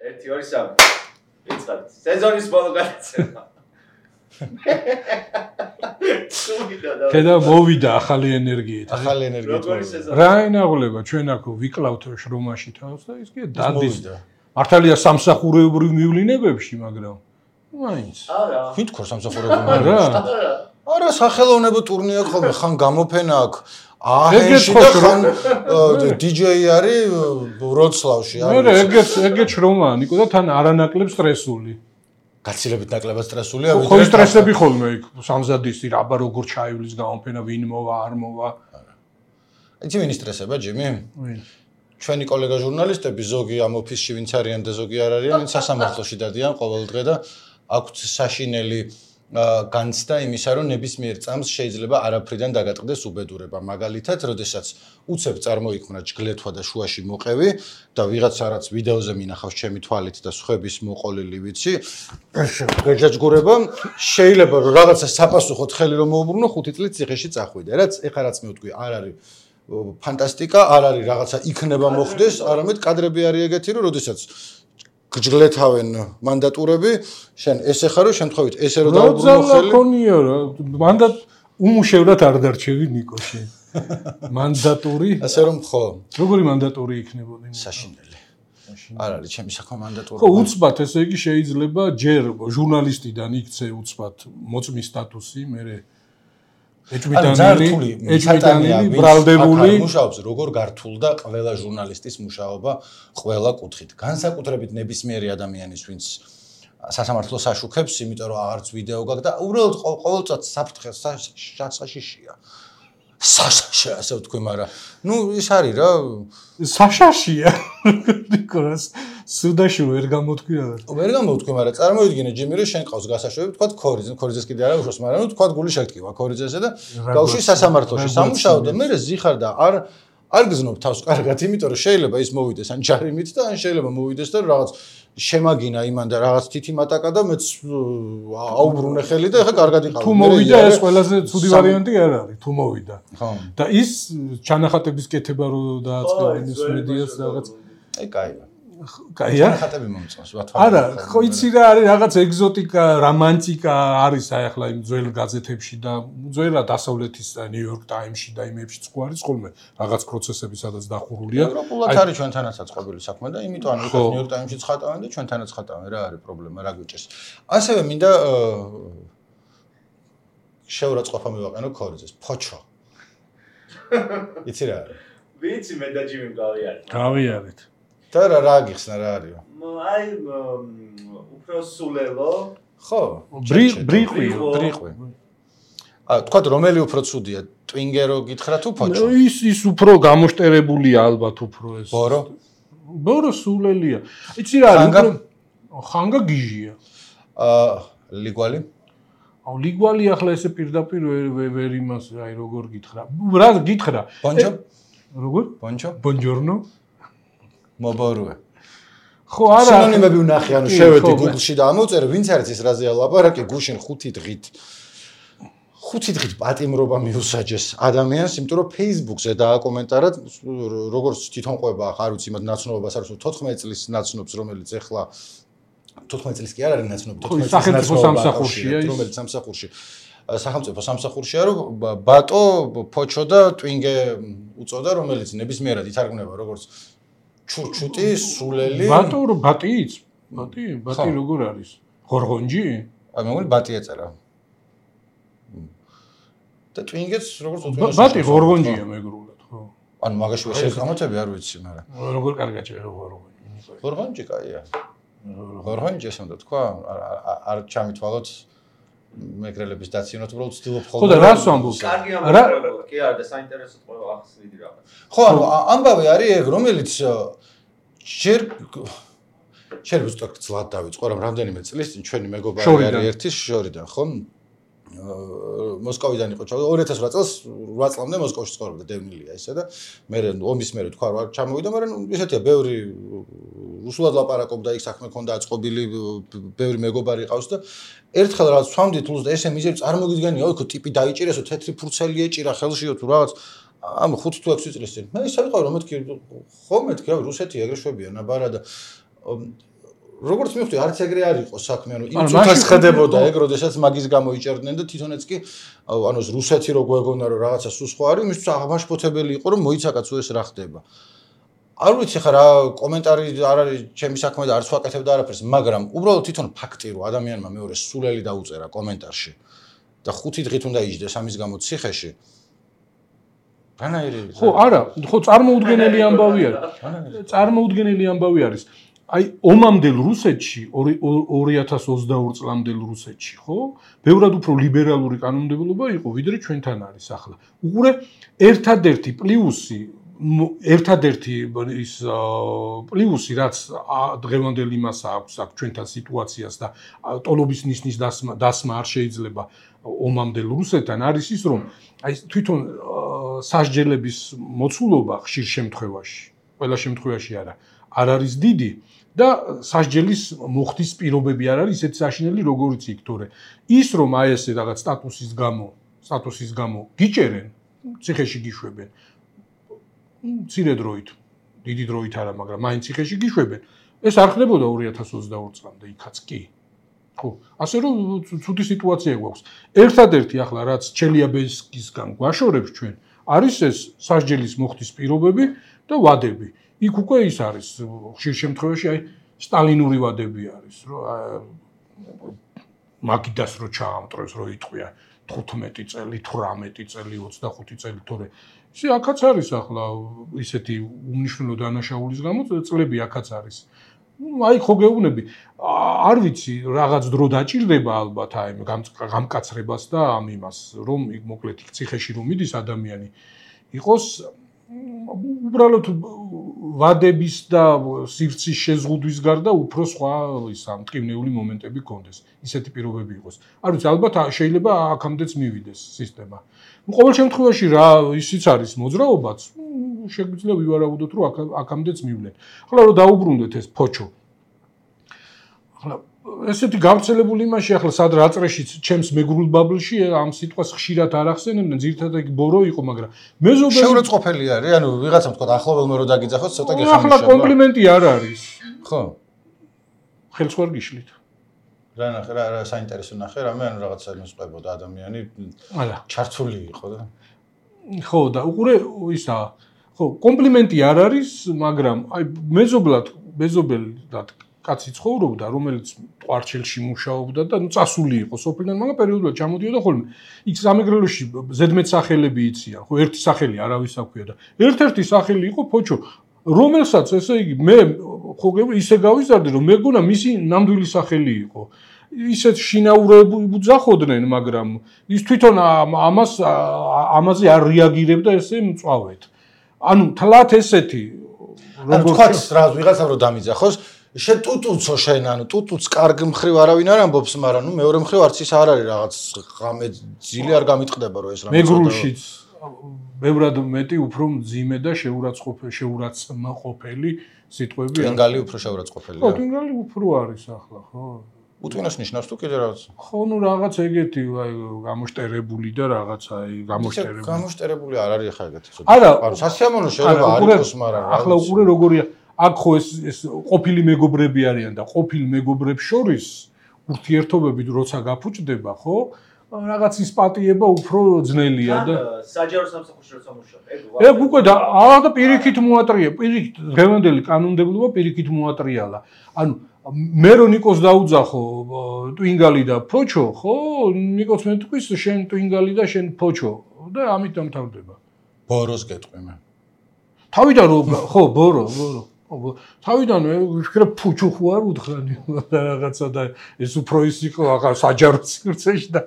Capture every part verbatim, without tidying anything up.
ერთი ორი სამი. ვიწყებთ. სეზონის ბოლო გადაცემა. და მოვიდა ახალი ენერგიით. ახალი ენერგიით. რა ენაღლება ჩვენ აქ ვიკლავთ შრომაში თავს და ის კი დადის. მართალია სამსახურეობრივ მივლინებებში, მაგრამ მაინც. არა. ვინ თქო სამსახურეობრივ მივლინებებში? არა, სახელოვნებო ტურნე აქვს ხოლმე, ხან გამოფენა აქვს. აჰენში და ხან დიჯეი არის ვროცლავში. არა, ეგეც ეგეც შრომაა, ნიკო და თან არანაკლებ სტრესული. გაცილებით ნაკლებად სტრესულია, ვიდრე ხო სტრესები ხოლმე იქ სამზადისი რაბა როგორ ჩაივლის გამოფენა, ვინ მოვა, არ მოვა. იცი ვინ სტრესება, ჯიმი? ვინ? ჩვენი კოლეგა ჟურნალისტები, ზოგი ამ ოფისში ვინც არიან და ზოგი არ არიან, ვინც სასამართლოში დადიან ყოველ დღე და აქვთ საშინელი განცდა იმისა, რომ ნებისმიერ წამს შეიძლება არაფრიდან დაგატყდეს უბედურება. მაგალითად, როდესაც უცებ წარმოიქმნა ჯგლეთვა და შუაში მოყევი და ვიღაცა რაც ვიდეოზე მინახავს ჩემი თვალით და სხვების მოყოლილი ვიცი, გაჯაჯგურება შეიძლება რომ რაღაცა საპასუხოდ ხელი რომ მოუბრუნო, ხუთი წლით ციხეში წახვიდე. რაც ეხლა რაც მე ვთქვი, არ არის ფანტასტიკა, არ არის რაღაცა იქნება მოხდეს, არამედ კადრები არის ეგეთი, რომ როდესაც გჯგლეთავენ მანდატურები, შენ ესე ხარ, რომ შემთხვევით ესე რომ დაუბრუნო ხელი. რა ქონია რა, მანდატ უმუშევრად არ დარჩევი ნიკოში. მანდატური? ასე რომ ხო. როგორი მანდატური იქნებოდა? საშინელი. არ არის ჩემი საქმე მანდატური. ხო, უცბად ესე იგი შეიძლება ჯერ ჟურნალისტიდან იქცე უცბად მოწმის სტატუსი, მერე ეჭვმიტანილი, ეჭვმიტანილი, ბრალდებული. მუშაობს როგორ გართულდა ყველა ჟურნალისტის მუშაობა ყველა კუთხით. განსაკუთრებით ნებისმიერი ადამიანის, ვინც სასამართლოს აშუქებს, იმიტომ რომ არც ვიდეო გაქვს და უბრალოდ ყოველწად საფრთხეს საშაშია. საშაშია, ასე ვთქვი, მაგრამ ნუ ის არის რა. საშაშია. ნიკოლას სუდაში ვერ გამოთქვი რა. ვერ გამოთქვი, მაგრამ წარმოვიდგინე ჯიმი, რომ შენ ყავს გასაშვები, თქვა ქორიძე, ქორიძეს კიდე არა უშოს, მაგრამ ნუ თქვა გული შეგტკივა ქორიძესა და გავში სასამართლოში სამუშაო და მე ზიხარ და არ არ გზნობ თავს კარგად, იმიტომ რომ შეიძლება ის მოვიდეს ან ჯარიმით და ან შეიძლება მოვიდეს და რაღაც შემაგინა იმან და რაღაც თითი მატაკა და მეც აუბრუნე ხელი და ეხა კარგად იყავ. თუ მოვიდა ეს ყველაზე ცუდი ვარიანტი არ არის, თუ მოვიდა. ხო. და ის ჩანახატების კეთება რო დააწყდა იმის მედიას რაღაც. აი კაია. კაია? ჩანახატები მომწონს, ვათვალე. არა, ხო იცი რა არის რაღაც ეგზოტიკა, რომანტიკა არის აი ახლა იმ ძველ გაზეთებში და ძველად დასავლეთის ნიუ-იორკ ტაიმსში და იმებში ხო არის ხოლმე რაღაც პროცესები სადაც დახურულია. ევროპულად არის ჩვენთანაცაც ყოფილი საქმე და იმიტომ ანუ ნიუ-იორკ ტაიმსში ცხატავენ და ჩვენთანაც ცხატავენ, რა არის პრობლემა, რა გვიჭერს. ასევე მინდა შეურაცხყოფა მივაყენო ქორიძეს, ფოჩო. იცი რა არის? ვიცი მე და ჯიმი გავიარეთ. გავიარეთ. და რა რა გიხსნა რა არისო? აი უფრო სულელო. ხო, ბრიყვი, ბრიყვი. აა თქვა რომელი უფრო ცუდია, ტვინგერო გითხრა თუ ფოჩო? ის ის უფრო გამოშტერებულია ალბათ უფრო ეს. ბორო? ბორო სულელია. იცი რა არის? ხანგა გიჟია. აა ლიგვალი? აუ ლიგვალი ახლა ესე პირდაპირ ვერ იმას აი როგორ გითხრა. რა გითხრა? ბონჯო? როგორ? ბონჯო? ბონჯორნო? მობორუე. ხო არა. სინონიმები ვნახე, ანუ შევედი Google-ში და ამოვწერე, ვინც არის ის რაზეა ლაპარაკი, გუშინ ხუთი დღით. ხუთი დღით პატიმრობა მიუსაჯეს ადამიანს, იმიტომ რომ Facebook-ზე დააკომენტარა, როგორც თვითონ ყვება, არ ვიცი, მათ ნაცნობობას არ ვიცი, თოთხმეტ წლის ნაცნობს, რომელიც ეხლა თოთხმეტ წლის კი არ არის ნაცნობი, თოთხმეტ წლის სახელმწიფო სამსახურშია, რომელიც სამსახურში. სახელმწიფო სამსახურშია, რომ ბატო, ფოჩო და ტვინგე უწოდა, რომელიც ნებისმიერად ითარგმნება როგორც ჩურჩუტი, სულელი. ბატო რო ბატიც? ბატი? ბატი როგორ არის? ღორღონჯი? აი მეგონი ბატი ეწერა. და ტვინგეც როგორც უწოდეს. ბატი ღორღონჯია მეგრულად, ხო. ანუ მაგაში ეს გამოცები არ ვიცი, მაგრამ როგორ კარგად შეღო ღორღონჯი. ღორღონჯი კაია. ღორღონჯი ესე უნდა თქვა, არ ჩამithვალოთ მეგრელების დაცინოთ, უბრალოდ ვცდილობ ხოლმე. ხო და რას ვამბობ? კარგი ამბავი, კი არა და საინტერესოდ ყველა ახსნიდი რაღაც. ხო, ანუ ამბავი არის ეგ, რომელიც ჯერ შეიძლება ზუსტად ძლად დავიწყო, რომ რამდენიმე წლის წინ ჩვენი მეგობარი არის ერთის შორიდან, ხო? მოსკოვიდან იყო ჩავიდა ორი ათას ოთხ წელს რვა წლამდე მოსკოვში ცხოვრობდა დევნილია ისე და მე ომის მერე თქვა რა ჩამოვიდა, მაგრამ ისეთია ბევრი რუსულად ლაპარაკობდა, იქ საქმე ქონდა აწყობილი, ბევრი მეგობარი ყავს და ერთხელ რაღაც სვამდით ლუს და ესე მიზერი წარმოგიდგენია, ოიქო ტიპი დაიჭირესო, თეთრი ფურცელი ეჭირა ხელშიო თუ რაღაც ამ ხუთ თუ ექვსი წლის წინ. მე ისე ვიყავი რომ მეთქი ხო მეთქი რა რუსეთი ეგრე შვებია ნაბარა და როგორც მივხვდი, არც ეგრე არ იყო საქმე, ანუ იმ წუთას ხედებოდა ეგ, როდესაც მაგის გამო იჭერდნენ და თვითონაც კი ანუ რუსეთი რო გვეგონა რომ რაღაცა სულ სხვა არის, მისთვის აღმაშფოთებელი იყო რომ მოიცაკაც ეს რა ხდება. არ ვიცი ხა რა კომენტარი არ არის ჩემი საქმე და არც ვაკეთებ და არაფერს, მაგრამ უბრალოდ თვითონ ფაქტი რომ ადამიანმა მეორე სულელი დაუწერა კომენტარში და ხუთი დღით უნდა იჯდეს ამის გამო ციხეში. რანაირი? ხო, არა, ხო წარმოუდგენელი ამბავი არის. წარმოუდგენელი ამბავი არის. აი ომამდელ რუსეთში ორი ათას ოცდაორი წლამდელ რუსეთში, ხო? ბევრად უფრო ლიბერალური კანონმდებლობა იყო, ვიდრე ჩვენთან არის ახლა. უყურე ერთადერთი პლუსი, ერთადერთი ის პლუსი, რაც დღევანდელ იმას აქვს აქ ჩვენთან სიტუაციას და ტოლობის ნიშნის დასმა დასმა არ შეიძლება ომამდელ რუსეთთან არის ის, რომ აი თვითონ სასჯელების მოცულობა ხშირ შემთხვევაში, ყველა შემთხვევაში არა, არ არის დიდი. და სასჯელის მოხდის პირობები არ არის ისეთ საშინელი როგორიც იქ თორე ის რომ აი ესე რაღაც სტატუსის გამო სტატუსის გამო გიჭერენ ციხეში გიშვებენ მცირე დროით დიდი დროით არა მაგრამ მაინც ციხეში გიშვებენ ეს არ ხდებოდა ორი ათას ოცდაორი წლამდე იქაც კი ხო ასე რომ ცუდი სიტუაცია გვაქვს ერთადერთი ახლა რაც ჩელიაბინსკისგან გვაშორებს ჩვენ არის ეს სასჯელის მოხდის პირობები და ვადები იქ უკვე ის არის ხშირ შემთხვევაში აი სტალინური ვადები არის რომ მაგიდას რო ჩაამტრევს რო იტყვია თხუთმეტი წელი თვრამეტი წელი ოცდახუთი წელი თორე ისე აქაც არის ახლა ისეთი უნიშნელო დანაშაულის გამო წლები აქაც არის აი ხო გეუბნები არ ვიცი რაღაც დრო დაჭირდება ალბათ აი გამკაცრებას და ამ იმას რომ იქ მოკლედ იქ ციხეში რომ მიდის ადამიანი იყოს უბრალოდ ვადების და სივრცის შეზღუდვის გარდა უფრო სხვა ისა მტკივნეული მომენტები გქონდეს. ისეთი პირობები იყოს. არ ვიცი, ალბათ შეიძლება აქამდეც მივიდეს სისტემა. ნუ ყოველ შემთხვევაში რა ისიც არის მოძრაობაც, შეგვიძლია ვივარაუდოთ, რომ აქამდეც მივლენ. ახლა რომ დაუბრუნდეთ ეს ფოჩო. ახლა ესეთი გავრცელებული იმაში ახლა სად რა წრეშიც ჩემს მეგრულ ბაბლში ამ სიტყვას ხშირად არ ახსენებდნენ, ძირითადად იქ ბორო იყო, მაგრამ მეზობელი შეურაცხყოფელი არის, ანუ ვიღაცამ თქვა ახლობელმა რო დაგიძახოს, ცოტა გეხმარება. ახლა კომპლიმენტი არ არის. ხო. ხელს ვერ გიშლით. რა ნახე, რა რა საინტერესო ნახე, რამე ანუ რაღაცა მოსწებოდა ადამიანი ჩართული იყო და. ხო, და უყურე ისა, ხო, კომპლიმენტი არ არის, მაგრამ აი მეზობლად, მეზობელად კაცი ცხოვრობდა, რომელიც ყვარჩელში მუშაობდა და ნუ წასული იყო სოფლიდან, მაგრამ პერიოდულად ჩამოდიოდა ხოლმე. იქ სამეგრელოში ზედმეტ სახელები იციან, ხო, ერთი სახელი არავის აქვია და ერთ-ერთი სახელი იყო ფოჩო, რომელსაც ესე იგი მე ხო ისე გავიზარდე, რომ მეგონა მისი ნამდვილი სახელი იყო. ისეთ შინაურები ბუძახოდნენ, მაგრამ ის თვითონ ამას ამაზე არ რეაგირებდა ესე მწვავედ. ანუ თლათ ესეთი როგორც თქვა რა ვიღაცა რო დამიძახოს შენ ტუტუცო შენ ანუ ტუტუც კარგ მხრივ არავინ არ ამბობს, მაგრამ ნუ მეორე მხრივ არც ის არ არის რაღაც ღამე ძილი არ გამიტყდება რომ ეს რამე მეგრულშიც ბევრად მეტი უფრო მძიმე და შეურაცხყოფელი შეურაცხმყოფელი სიტყვები არის. ტვინგალი უფრო შეურაცხყოფელია. ხო, ტვინგალი უფრო არის ახლა, ხო. უტვინოს ნიშნავს თუ კიდე რაღაც? ხო, ნუ რაღაც ეგეთი აი გამოშტერებული და რაღაც აი გამოშტერებული. გამოშტერებული არ არის ახლა ეგეთი ცოტა. არა, სასიამოვნო შეიძლება არ იყოს, მაგრამ ახლა უყურე როგორია აქ ხო ეს ეს ყოფილი მეგობრები არიან და ყოფილ მეგობრებს შორის ურთიერთობები როცა გაფუჭდება, ხო? რაღაც ის პატიება უფრო ძნელია და საჯარო სამსახურში როცა მუშაობ. ეგ უკვე და აა და პირიქით მოატრია, პირიქით დღევანდელი კანონმდებლობა პირიქით მოატრიალა. ანუ მე რო ნიკოს დაუძახო ტვინგალი და ფოჩო, ხო? ნიკოს მე თქვის შენ ტვინგალი და შენ ფოჩო და ამით დამთავრდება. ბოროს გეტყვი მე. თავიდან რო ხო ბორო, ბორო. თავიდან ვიფიქრე ფუჩუ ხო არ უთხრანი რაღაცა და ეს უფრო ის იყო ახლა საჯარო სივრცეში და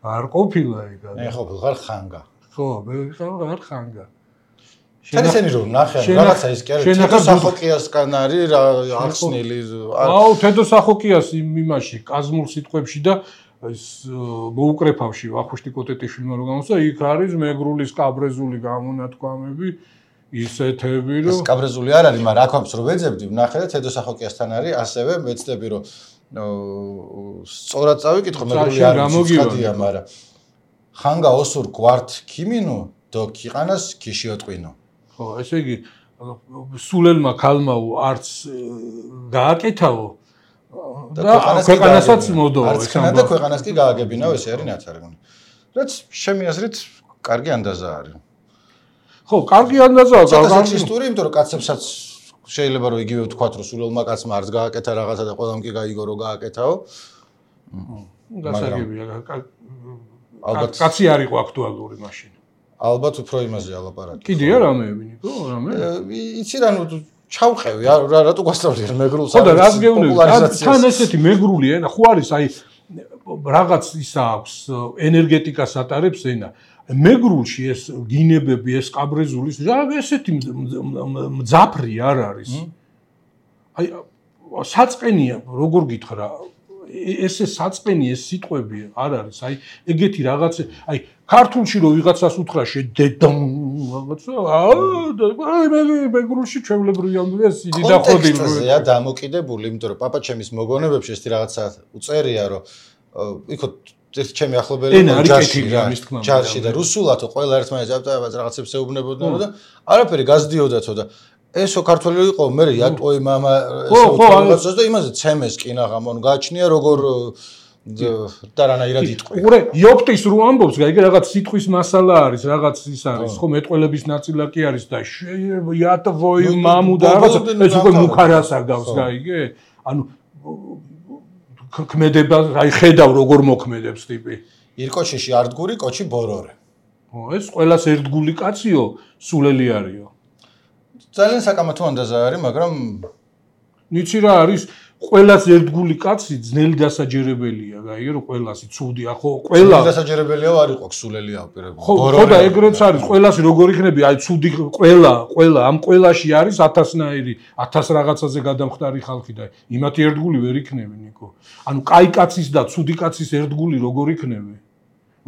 არ ყოფილა ეგ. მე ხო ვიღარ ხანგა. ხო, მე ვიღარ ხანგა. შენ ესენი რომ ნახე რაღაცა ის კი არის თედო სახოკიასგან არის ახსნილი. აუ თედო სახოკიას იმაში კაზმურ სიტყვებში და ეს მოუკრეფავში ვახუშტი კოტეტიშვილმა რო გამოსცა იქ არის მეგრული სკაბრეზული გამონათქვამები ისეთები რომ სკაბრეზული არ არის, მაგრამ აქ აქვს რომ ვეძებდი, ვნახე და თედო სახოკიასთან არის, ასევე ვეცდები რომ სწორად წავიკითხო, მეგრული არ მოგივადია, მაგრამ ხანგა ოსურ გვართ ქიმინო და ქიყანას ქიშიოტყვინო. ხო, ესე იგი სულელმა ქალმაო არც გააკეთაო და ქვეყანასაც მოდო არც ხნა და ქვეყანას კი გააგებინაო ესე არის ნაცარგუნი რაც შემი აზრით კარგი ანდაზა არის ხო კარგი ანდაზაა სექსისტური იმიტომ რომ კაცებსაც შეიძლება რომ იგივე ვთქვათ რომ სულელმა კაცმა არც გააკეთა რაღაცა და ყველამ კი გაიგო რომ გააკეთაო გასაგებია ალბათ კაცი არ იყო აქტუალური მაშინ ალბათ უფრო იმაზე ალაპარაკი კიდია რამეები ნიკო რამე იცი რა ნუ ჩავყევი რატო გასწავლი მეგრულს ხო და რას გეუბნები თან ესეთი მეგრული ენა ხო არის აი რაღაც ისა აქვს ენერგეტიკას ატარებს ენა მეგრულში ეს გინებები ეს კაბრეზულის რა ესეთი მძაფრი არ არის აი საწყენია როგორ გითხრა ესე საწყენი ეს სიტყვები არ არის აი ეგეთი რაღაც აი ქართულში რო ვიღაცას უთხრა შედედამ რაღაცა აი მე მეგრულში ჩვეულებრივი ამბია სიდი და ხოდი კონტექსტზეა დამოკიდებული იმიტომ რომ პაპა ჩემის მოგონებებში ეს რაღაცა უწერია რომ იქო ეს ჩემი ახლობელი ჯარში და რუსულათო ყველა ერთმანეთს რაღაცებს ეუბნებოდნენ და არაფერი გაზდიოდათო და ესო ქართველი იყო მე იატოი мама ესო რაღაცას და იმაზე ცემეს კინაღამონ გააჩნია როგორ და რანაირად იტყვი. უყურე იოპტის რო ამბობს, გაიგე რაღაც სიტყვის მასალა არის, რაღაც ის არის, ხო მეტყველების ნაწილაკი არის და იატოი маму და რაღაც ეს უკვე მუხარას აგავს, გაიგე? ანუ ქმედება, აი ხედავ როგორ მოქმედებს ტიპი. ირკოჩიში არდგური, კოჩი ბორორე. ხო, ეს ყველას ერთგული კაციო, სულელი არისო. ძალიან საკამათო ანდაზა არის, მაგრამ ნიცი რა არის, ყველას ერთგული კაცი ძნელი დასაჯერებელია, გაიგე რომ ყველასი ცუდია, ხო, ყველა დასაჯერებელია არ იყო სულელი აპირებული. ხო და ეგრეც არის, ყველასი როგორ იქნება, აი ცუდი ყველა, ყველა ამ ყველაში არის ათასნაირი, ათას რაღაცაზე გადამხდარი ხალხი და იმათი ერთგული ვერ იქნება, ნიკო. ანუ კაი კაცის და ცუდი კაცის ერთგული როგორ იქნება?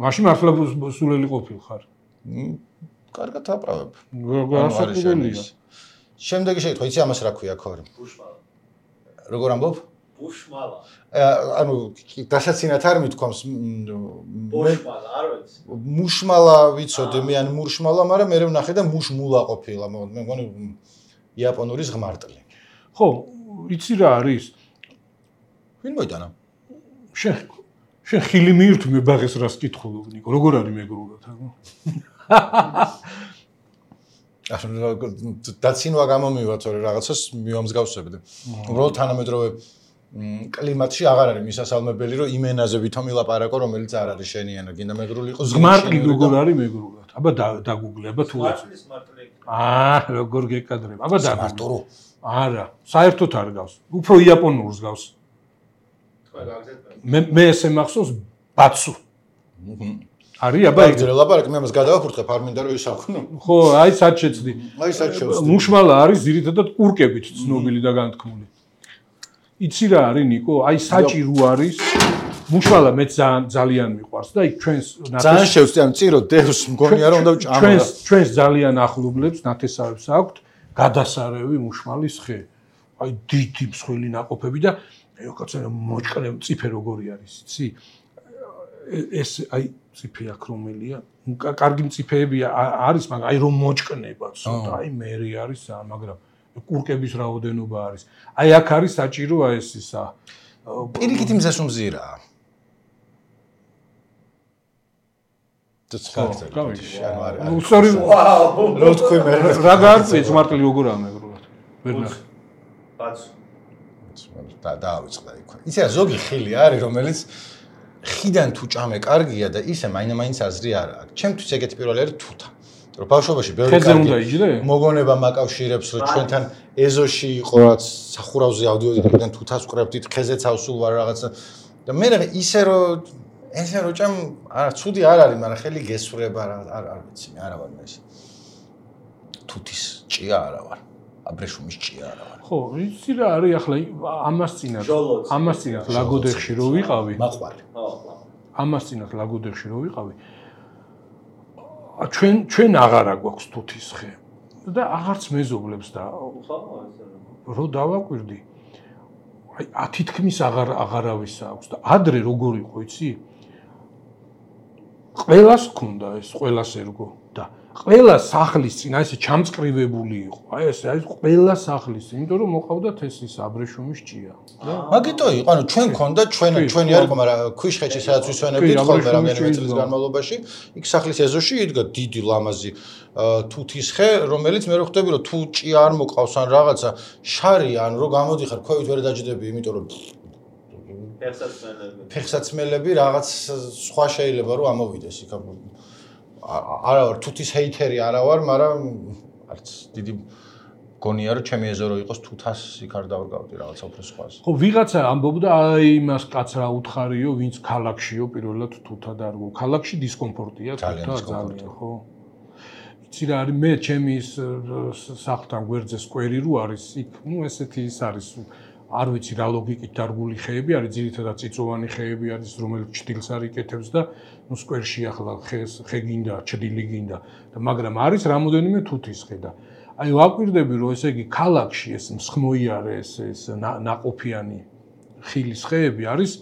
მაშინ მართლა სულელი ყოფილხარ. კარგად აპრავებ. გასაკუთრებელია. შემდეგი შეკითხვა, იცი ამას რა ქვია ქორი? ბუშმალა. როგორ ამბობ? ბუშმალა. ანუ დასაცინათ არ მithქვამს ბუშმალა, არ ვიცი. მუშმალა ვიცოდი, მე ან მურშმალა, მაგრამ მე ვნახე და მუშმულა ყოფილა, მე მგონი იაპონური ზღმარტლი. ხო, იცი რა არის? ვინ მოიტანა? შენ შენ ხილი მიირთვი მე ბაღეს რას კითხულობ, ნიკო, როგორ არის მეგრულად, ანუ? დაცინვა გამომივათ, თორე რაღაცას მივამსგავსებდი. უბრალოდ თანამედროვე კლიმატში აღარ არის მისასალმებელი, რომ იმ ენაზე ვითომ ილაპარაკო, რომელიც არ არის შენი ენა, გინდა მეგრული იყოს. ზმარტლი როგორ არის მეგრულად? აბა დაგუგლე, აბა თუ მართლის მართლი. აა, როგორ გეკადრებ? აბა დაგუგლე. არა, საერთოდ არ გავს. უფრო იაპონურს გავს. თქვენ გაგზეთ მე მე ესე მახსოვს ბაცუ. არის აბა ეგ ლაპარაკი მე ამას გადავაფურთხებ არ მინდა რომ ისაქვნო. ხო, აი სად შეცდი. აი სად შევცდი. მუშმალა არის ძირითადად კურკებით ცნობილი და განთქმული. იცი რა არის ნიკო? აი საჭირო არის. მუშმალა მე ძალიან მიყვარს და იქ ჩვენს ძალიან შევცდი ამ წირო დევს მგონია რომ უნდა ვჭამო. ჩვენს ჩვენს ძალიან ახლობლებს ნათესავებს აქვთ გადასარევი მუშმალის ხე. აი დიდი მსხვილი ნაყოფები და კაცო მოჭკნე მწიფე როგორი არის, იცი? ეს აი მწიფე აქ რომელია? კარგი მწიფეები არის, მაგრამ აი რომ მოჭკნება, ცოტა აი მერი არის, მაგრამ კურკების რაოდენობა არის. აი აქ არის საჭიროა ეს ისა. პირიქით იმზეს უმზირაა. ნუ სორი, რა თქვი მე? რა გარკვეც მარტლი როგორაა მეგრულად? ვერ ნახე. ბაცუ. და დაავიწყდა იქ. იცი რა ზოგი ხილი არის, რომელიც ხიდან თუ ჭამე კარგია და ისე მაინც აზრი არ აქვს. ჩემთვის ეგეთი პირველი არის თუთა. რომ ბავშვობაში ბევრი კარგი მოგონება მაკავშირებს, რომ ჩვენთან ეზოში იყო რაც სახურავზე ავდიოდით, აქედან თუთას ვყრებდით, ხეზეც ავსულ ვარ რაღაცა. და მე რა ისე რომ ესე რომ ჭამ არა ცუდი არ არის, მაგრამ ხელი გესვრება რა არ არ ვიცი, არა ვარ მე ეს. თუთის ჭია არა ვარ. აბრეშუმის ჭია არა ვარ. ხო, იცი რა არის ახლა ამას წინათ. ამას წინათ ლაგოდეხში რო ვიყავი. მაყვარი. ხო. ამას წინათ ლაგოდეხში რო ვიყავი. ჩვენ ჩვენ აღარა გვაქვს თუთის ხე და აღარც მეზობლებს და ხო, რო დავაკვირდი. აი ათი თქმის აღარ აღარავის აქვს და ადრე როგორ იყო, იცი? ყველას ქონდა ეს, ყველას ერგო და ყველა სახლის წინ აი ესე ჩამწკრივებული იყო. აი ესე აი ყველა სახლის წინ, იმიტომ რომ მოყავდათ ეს ის აბრეშუმის ჭია. მაგიტო იყო, ანუ ჩვენ ქონდა ჩვენ ჩვენი არ იყო, მაგრამ ქვიშხეთში სადაც ვისვენებდით ხოლმე რამდენიმე წლის განმავლობაში, იქ სახლის ეზოში იდგა დიდი ლამაზი თუთის ხე, რომელიც მე რო ხვდები რომ თუ ჭია არ მოყავს ან რაღაცა შარი ან რო გამოდიხარ, ქვევით ვერ დაჯდები, იმიტომ რომ ფეხსაცმელები. ფეხსაცმელები რაღაც სხვა შეიძლება რომ ამოვიდეს იქ. არა ვარ თუთის ჰეითერი არა ვარ, მაგრამ არც დიდი გონია რომ ჩემი ეზო რო იყოს თუთას იქ არ დავრგავდი რაღაცა უფრო სხვას. ხო, ვიღაცა ამბობდა აი იმას კაც რა უთხარიო, ვინც ქალაქშიო პირველად თუთად არ გო. ქალაქში დისკომფორტია თუთა ძალიან, ხო? იცი რა არის მე ჩემი სახლთან გვერდზე სკვერი რო არის, იქ ნუ ესეთი ის არის არ ვიცი რა ლოგიკით დარგული ხეები არის, ძირითადად წიწოვანი ხეები არის, რომელიც ჭდილს არ იკეთებს და ნუ სკვერში ახლა ხეს ხე გინდა, ჭდილი გინდა და მაგრამ არის რამოდენიმე თუთის ხე და აი ვაკვირდები რომ ესე იგი ქალაქში ეს მსხმოიარე ეს ეს ნაყოფიანი ხილის ხეები არის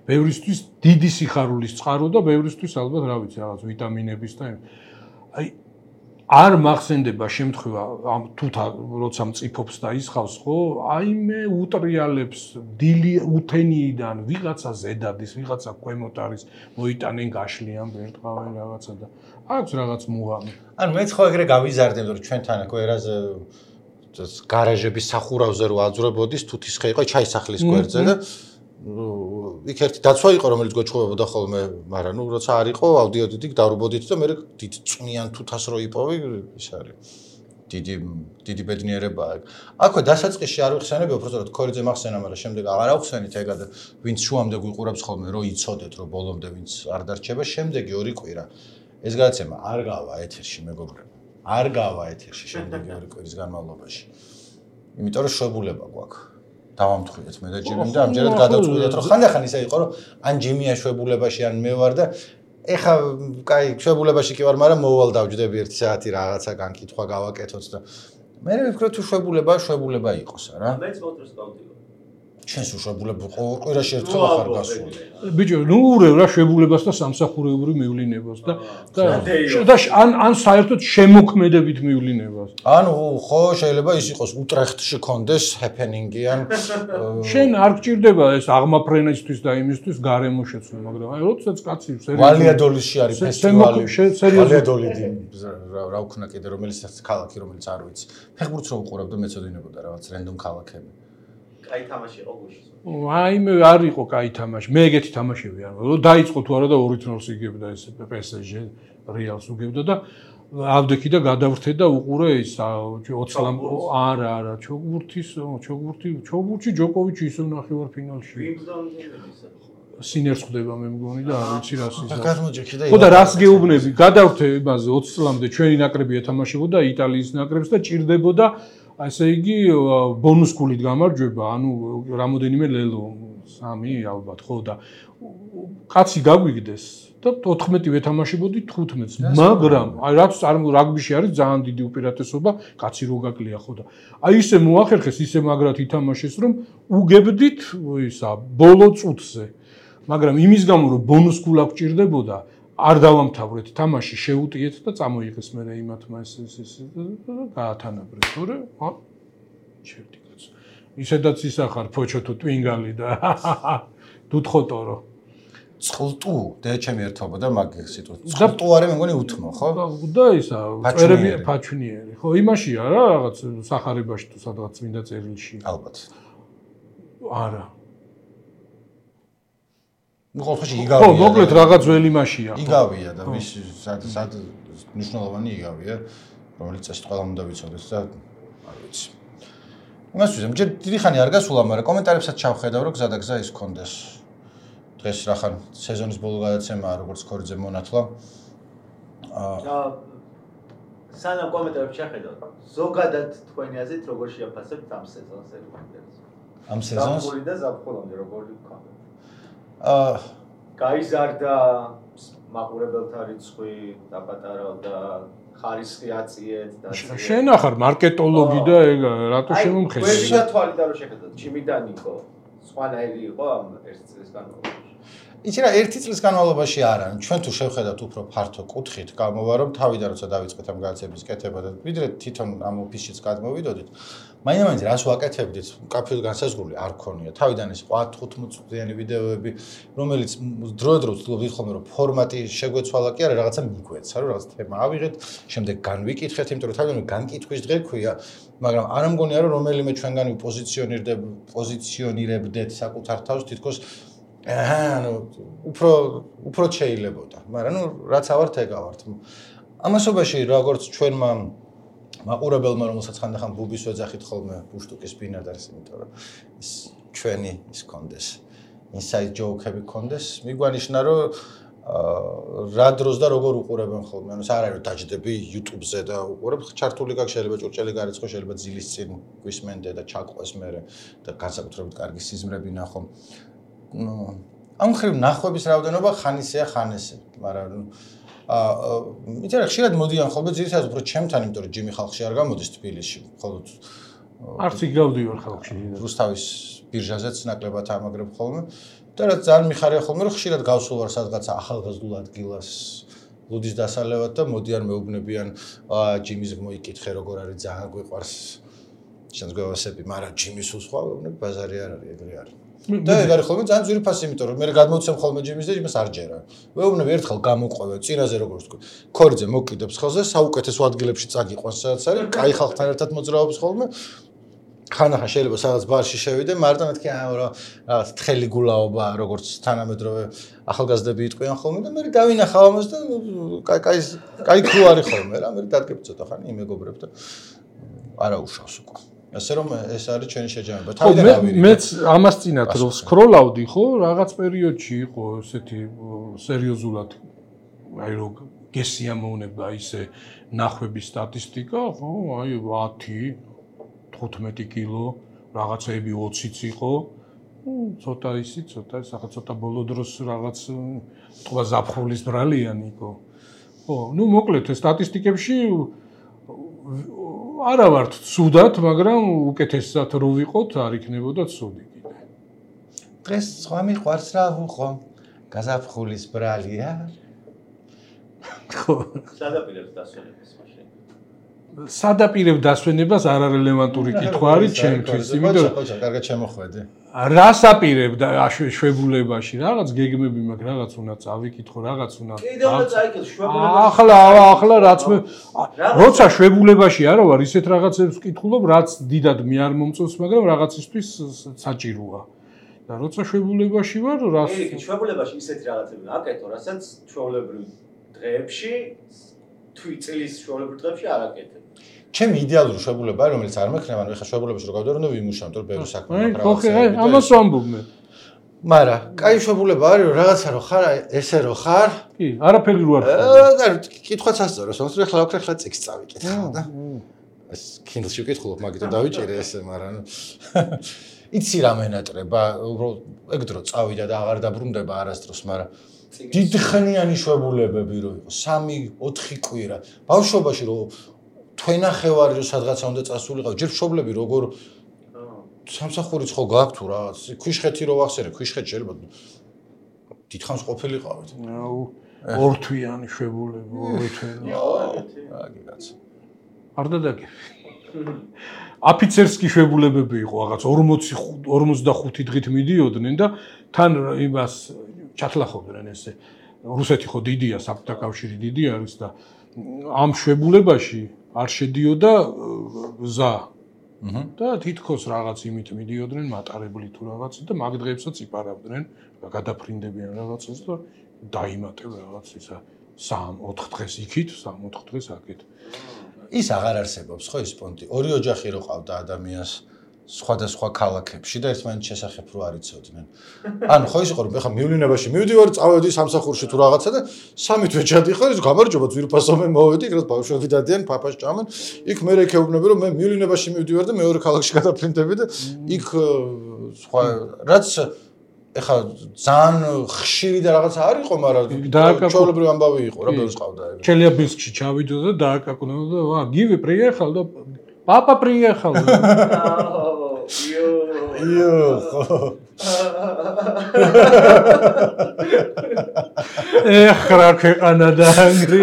ბევრისთვის დიდი სიხარულის წყარო და ბევრისთვის ალბათ რა ვიცი რაღაც ვიტამინების და აი არ მახსენდება შემთხვევა ამ თუთა როცა მწიფობს და ისხავს ხო აი მე უტრიალებს დილი უთენიიდან ვიღაცა ზედადის ვიღაცა ქვემოთ არის მოიტანენ გაშლიან ბერტყავენ რაღაცა და აქვს რაღაც მუღამი ანუ მეც ხო ეგრე გავიზარდე რომ ჩვენთან აქ ერაზე გარაჟების სახურავზე რო აძვრებოდის თუთის ხე იყო ჩაისახლის გვერდზე და იქ ერთი დაცვა იყო რომელიც გვეჩხუბებოდა ხოლმე მაგრამ ნუ როცა არ იყო ავდიოდით დავრბოდით და მე დიდ წვნიან თუთას რო იპოვი ის არის დიდი დიდი ბედნიერებაა აქვე დასაწყისში არ ვიხსენები უბრალოდ ქორიძე მახსენა მაგრამ შემდეგ აღარ ავხსენით ეგად ვინც შუამდე გვიყურებს ხოლმე რო იცოდეთ რომ ბოლომდე ვინც არ დარჩება შემდეგი ორი კვირა ეს გადაცემა არ გავა ეთერში მეგობრებო არ გავა ეთერში შემდეგი ორი კვირის განმავლობაში იმიტომ რომ შვებულება გვაქვს დავამთხრით მე და ჯიმი და ამჯერად გადავწყვიტეთ რომ ხანდახან ისე იყო რომ ან ჯიმია შვებულებაში ან მე ვარ და ეხა კაი შვებულებაში კი ვარ მაგრამ მოვალ დავჯდები ერთი საათი რაღაცა განკითხვა გავაკეთოთ და მე ვფიქრობ თუ შვებულება შვებულება იყოს რა მეც მოწეს გავდივარ ჩვენს შვებულება ყვირაში ერთხელ ახარ გასულ ბიჭო ნუ ურევ რა შვებულებას და სამსახურეობრივ მივლინებას და და ან ან საერთოდ შემოქმედებით მივლინებას ანუ ხო შეიძლება ის იყოს უტრეხტში კონდეს ჰეპენინგი ან შენ არ გჭირდება ეს აღმაფრენისთვის და იმისთვის გარემო შეცვლა მაგრამ აი როდესაც კაცი სერიოზულად ვალიადოლისში არის ფესტივალი ვალიადოლი რა უქნა კიდე რომელიც ქალაქი რომელიც არ ვიცი ფეხბურთს რო უყურებ და მეცოდინებოდა რაღაც რენდომ ქალაქები კაი თამაში იყო გუშინ. აი მე არ იყო კაი თამაში. მე ეგეთი თამაშები არ ვარ. დაიწყო თუ არა და ორი ნოლს იგებდა ეს პე ეს ჯე რეალს უგებდა და ავდექი და გადავრთე და უყურე ის ოცი ლამ არა არა ჩოგურთის ჩოგურთი ჩოგურთი ჯოკოვიჩი ისე ნახევარფინალში. სინერს ხვდება მე მგონი და არ ვიცი რას ის. ხო და რას გეუბნები? გადავრთე იმაზე ოცი წლამდე ჩვენი ნაკრები ეთამაშებოდა იტალიის ნაკრებს და ჭირდებოდა ასე იგი ბონუს გულით გამარჯვება, ანუ რამოდენიმე ლელო, სამი ალბათ, ხო და კაცი გაგვიგდეს და ოთხმეტი ვეთამაშებოდი თხუთმეტს, მაგრამ აი რაც რაგბიში არის ძალიან დიდი უპირატესობა, კაცი რო გაკლია ხო და აი ისე მოახერხეს, ისე მაგრად ითამაშეს, რომ უგებდით ისა ბოლო წუთზე. მაგრამ იმის გამო რომ ბონუს გულა გჭირდებოდა არ დავამთავრეთ თამაში შეუტიეთ და წამოიღეს მე იმათმა ეს ეს გაათანაბრეთ თორე ა ჩერტი კაც ისედაც ისახარ ფოჩო თუ ტვინგალი და დუთხოტორო წყლტუ და ჩემი ერთობა და მაგ სიტუაცია წყლტუ არის მე მგონი უთმო ხო და ისა წერები ფაჩუნიერი ხო იმაშია რა რაღაც სახარებაში თუ სადღაც მინდა წერილში ალბათ არა ну ხოლმე იგავია. ხო, მოკლედ რაღაც ძველი მასია. იგავია და ვის სად სად მნიშვნელოვანი იგავია, რომელიც ეს ყველა უნდა ვიცოდეს და არ ვიცი. იმას ვიზამ, ჯერ დიდი ხანი არ გასულა, მაგრამ კომენტარებსაც ჩავხედავ, რომ გზა და გზა ის კონდეს. დღეს რახან სეზონის ბოლო გადაცემაა, როგორც ქორიძე მონათლა. აა სანამ კომენტარებს ჩახედავ, ზოგადად თქვენი აზრით როგორ შეაფასებთ ამ სეზონს ეკონდეს? ამ სეზონს? ზაფხული და ზაფხულამდე როგორი გქონდა? აა გაიზარდა მაყურებელთა რიცხვი დაპატარავდა ხარისხი აწიეთ და შენ ახარ მარკეტოლოგი და ეგ რატო შემომხეს? აი, ვერა თვალი და რო შეხედოთ, ჩიმიდანი იყო, სხვანაირი იყო ამ ერთ წელს განმავლობაში. იცი რა ერთი წლის განმავლობაში არა, ჩვენ თუ შევხედავთ უფრო ფართო კუთხით, გამოვა რომ თავიდან როცა დავიწყეთ ამ განათლების კეთება და ვიდრე თვითონ ამ ოფისშიც გადმოვიდოდით, მაინც რას ვაკეთებდით, კაფეზე განსაზღვრული არ ქონია. თავიდან ის ათი-თხუთმეტ წუთიანი ვიდეოები, რომელიც დროდადრო ვცდილობდით ხოლმე რომ ფორმატი შეგვეცვალა კი არა, რაღაცა მიგვეცა, რომ რაღაც თემა ავიღეთ, შემდეგ განვიკითხეთ, იმიტომ რომ თავიდან განკითხვის დღე ქვია, მაგრამ არ ამგონია რომ რომელიმე ჩვენგანი პოზიციონირდებ, პოზიციონირებდეთ საკუთარ თავს თითქოს აა, ანუ უფრო უფრო შეიძლებოდა, მაგრამ ნუ რაც ავართ ეგ ავართ. ამასობაში როგორც ჩვენმა მაყურებელმა რომელსაც ხანდახან ბუბის ვეძახით ხოლმე ბუშტუკის ბინადარს, იმიტომ რომ ის ჩვენი ის კონდეს, inside joke-ები კონდეს, მიგვანიშნა რომ რა დროს და როგორ უყურებენ ხოლმე, ანუ არ არის რომ დაჯდები YouTube-ზე და უყურებ, ჩართული გაქვს, შეიძლება ჭურჭელი გარიცხო, შეიძლება ძილის წინ გვისმენდე და ჩაყვეს მერე და განსაკუთრებით კარგი სიზმრები ნახო. ნუ ამ ხრივ ნახვების რაოდენობა ხან ისეა, ხან ესე, მაგრამ აა იცი რა ხშირად მოდიან ხოლმე ძირითადად უფრო ჩემთან, იმიტომ რომ ჯიმი ხალხში არ გამოდის თბილისში, მხოლოდ არც იქ გავდივარ ხალხში. რუსთავის ბირჟაზეც ნაკლებად ამაგრებ ხოლმე და რაც ძალიან მიხარია ხოლმე რომ ხშირად გავსულ ვარ სადღაცა ახალგაზრდულ ადგილას ლუდის დასალევად და მოდიან მეუბნებიან აა ჯიმის მოიკითხე როგორ არის ძალიან გვიყვარს შენს გვევასები, მაგრამ ჯიმის უსხვა ვეუბნებ ბაზარი არ არის, ეგრე არის. და ეგ არის ხოლმე ძალიან ძვირფასი, იმიტომ რომ მე გადმოვცემ ხოლმე ჯიმის და იმას არ ჯერა. ვეუბნებ ერთხელ გამოყვევე, წინაზე როგორც თქვი. ქორიძე მოკიდებს ხელზე, საუკეთესო ადგილებში წაგიყვანს, სადაც არის, კაი ხალხთან ერთად მოძრაობს ხოლმე. ხანახან შეიძლება სადაც ბარში შევიდე, მაგრამ მეთქი რა რაღაც თხელი გულაობა, როგორც თანამედროვე ახალგაზრდები იტყვიან ხოლმე და მე დავინახავ ამას და კაი კაი კაი ქრო არის ხოლმე რა, მე დადგები ცოტა ხანი იმეგობრებ და არა უშავს უკვე. ასე რომ ეს არის ჩვენი შეჯამება. თავიდან ავირიდე. მეც ამას წინათ რომ სკროლავდი, ხო, რაღაც პერიოდში იყო ესეთი სერიოზულად აი რომ გესიამოვნება ისე ნახვების სტატისტიკა, ხო, აი ათი, თხუთმეტი კილო, რაღაცეები ოციც იყო. ნუ ცოტა ისი, ცოტა სახა ცოტა ბოლო დროს რაღაც თქვა ზაფხულის ბრალიანი იყო. ხო, ნუ მოკლედ ეს სტატისტიკებში არა ვართ ცუდად, მაგრამ უკეთესად რო ვიყოთ, არ იქნებოდა ცუდი კიდე. დღეს სხვა მიყვარს რა ვუყო? გაზაფხულის ბრალია. ხო. სადაპირებს დასვენებას მაშინ. სადაპირებ დასვენებას არარელევანტური კითხვა არის ჩემთვის, იმიტომ რომ ხო, კარგად შემოხვედი. რას აპირებ და შვებულებაში რაღაც გეგმები მაქვს, რაღაც უნდა წავიკითხო, რაღაც უნდა. კიდევ უნდა წაიკითხო შვებულებაში. ახლა, ახლა რაც მე როცა შვებულებაში არა ვარ, ისეთ რაღაცებს ვკითხულობ, რაც დიდად მე არ მომწონს, მაგრამ რაღაცისთვის საჭიროა. და როცა შვებულებაში ვარ, რას კი, შვებულებაში ისეთ რაღაცები აკეთო, რასაც ჩვეულებრივ დღეებში, თვიწლის ჩვეულებრივ დღეებში არ აკეთებ. ჩემი იდეალური შვებულება არის, რომელიც არ მექნება, ანუ ეხლა შვებულებაში რო გავდივარ, უნდა ვიმუშავო, რომ ბევრი საქმე მაქვს. ხო, ხო, ამას ვამბობ მე. მაგრამ, კაი შვებულება არის, რომ რაღაცა რო ხარ, ესე რო ხარ. კი, არაფერი რო არ ხარ. აა, კითხვაც ასწორებს, თუმცა ეხლა ვაქრე, ეხლა წიგს წავიკითხე და ეს Kindle-ში ვკითხულობ, მაგიტომ დავიჭირე ესე, მაგრამ იცი რა მენატრება, უბრალოდ ეგ დრო წავიდა და აღარ დაბრუნდება არასდროს, მაგრამ დიდხნიანი შვებულებები რო იყო, სამი, ოთხი კვირა. ბავშვობაში რო თვენახევარი რო სადღაცა უნდა წასულიყავ, ჯერ მშობლები როგორ სამსახურიც ხო გაქვთ თუ რაღაც, ქვიშხეთი რო ვახსენე, ქვიშხეთი შეიძლება დიდხანს ყოფილიყავით. ორთვიანი შვებულები, ორთვიანი. აგი კაცო. არ დადაგები. აფიცერსკი შვებულებები იყო რაღაც ორმოცი ორმოცდახუთი დღით მიდიოდნენ და თან იმას ჩათლახობდნენ ესე. რუსეთი ხო დიდია, საბჭოთა კავშირი დიდი არის და ამ შვებულებაში არ შედიოდა გზა. და თითქოს რაღაც იმით მიდიოდნენ მატარებლი თუ რაღაცა და მაგ დღეებსაც იპარავდნენ, გადაფრინდებიან რაღაცას და დაიმატებ რაღაც ისა სამ ოთხ დღეს იქით, სამ ოთხ დღეს აქეთ. ის აღარ არსებობს ხო ის პონტი. ორი ოჯახი რო ყავდა ადამიანს სხვადასხვა ქალაქებში და ერთმანეთს შესახებ რო არ იცოდნენ. ანუ ხო ის იყო რომ ეხლა მივლინებაში მივდივარ, წავედი სამსახურში თუ რაღაცა და სამი თვე ჩადიხარ, ის გამარჯობა ძვირფასო მე მოვედი, იქ რაც ბავშვები დადიან, ფაფას ჭამენ. იქ მე რეკეუბნები რომ მე მივლინებაში მივდივარ და მეორე ქალაქში გადაფრინდები და იქ სხვა რაც ეხლა ძალიან ხშირი და რაღაცა არ იყო, მაგრამ ჩვეულებრივი ამბავი იყო რა ბევრს ყავდა ეგ. ჩელიაბინსკში ჩავიდო და დააკაკუნო და ვა გივი პრიეხალ და პაპა პრიეხალ. იო. იო. ეხ რა ქვეყანა და ანგრი.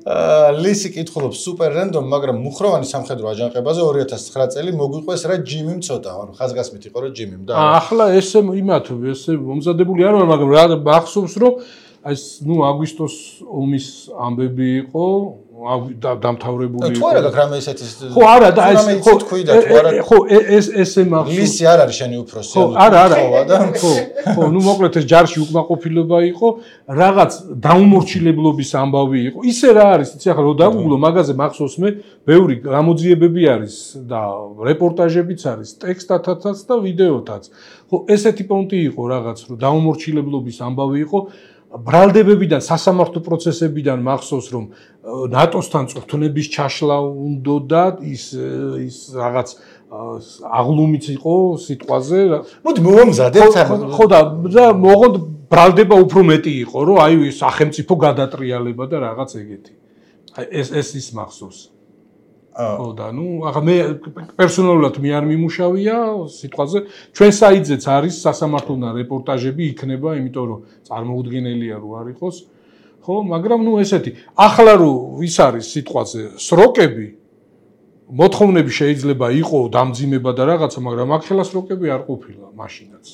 აა ლისი კითხულობს სუპერ რენდომ, მაგრამ მუხროვანი სამხედრო აჯანყებაზე ორი ათას ცხრა წელი მოგვიყვეს რა ჯიმი მცოტა, ანუ ხაზგასმით იყო რა ჯიმი და ახლა ესე იმათ ესე მომზადებული არ ვარ, მაგრამ რა მახსოვს რომ ეს ნუ აგვისტოს ომის ამბები იყო დამთავრებული იყო. თუ არა გაქვს რამე ესეთი ხო არა და ეს ხო თქვი და თუ არა ხო ეს ესე მახსოვს. ლისი არ არის შენი უფროსი. ხო არა არა ხო ხო ნუ მოკლედ ეს ჯარში უკმაყოფილება იყო, რაღაც დაუმორჩილებლობის ამბავი იყო. ისე რა არის, იცი ახლა რომ დაგუგლო მაგაზე მახსოვს მე, ბევრი გამოძიებები არის და რეპორტაჟებიც არის, ტექსტათაც და ვიდეოთაც. ხო ესეთი პონტი იყო რაღაც, რომ დაუმორჩილებლობის ამბავი იყო. ბრალდებებიდან, სასამართლო პროცესებიდან მახსოვს რომ ნატოსთან წვრთნების ჩაშლა უნდა და ის ის რაღაც აღლუმიც იყო სიტყვაზე. მოდი მომზადეთ ამ ხო და მოღონდ ბრალდება უფრო მეტი იყო, რომ აი სახელმწიფო გადატრიალება და რაღაც ეგეთი. აი ეს ეს ის მახსოვს. ხო და ნუ ახლა მე პერსონალურად მე არ მიმუშავია სიტყვაზე. ჩვენ საიტზეც არის სასამართლოდან რეპორტაჟები იქნება, იმიტომ რომ წარმოუდგენელია რომ არ იყოს. ხო, მაგრამ ნუ ესეთი. ახლა რომ ის არის სიტყვაზე სროკები, მოთხოვნები შეიძლება იყო დამძიმება და რაღაცა, მაგრამ აქ ხელა სროკები არ ყოფილა მაშინაც.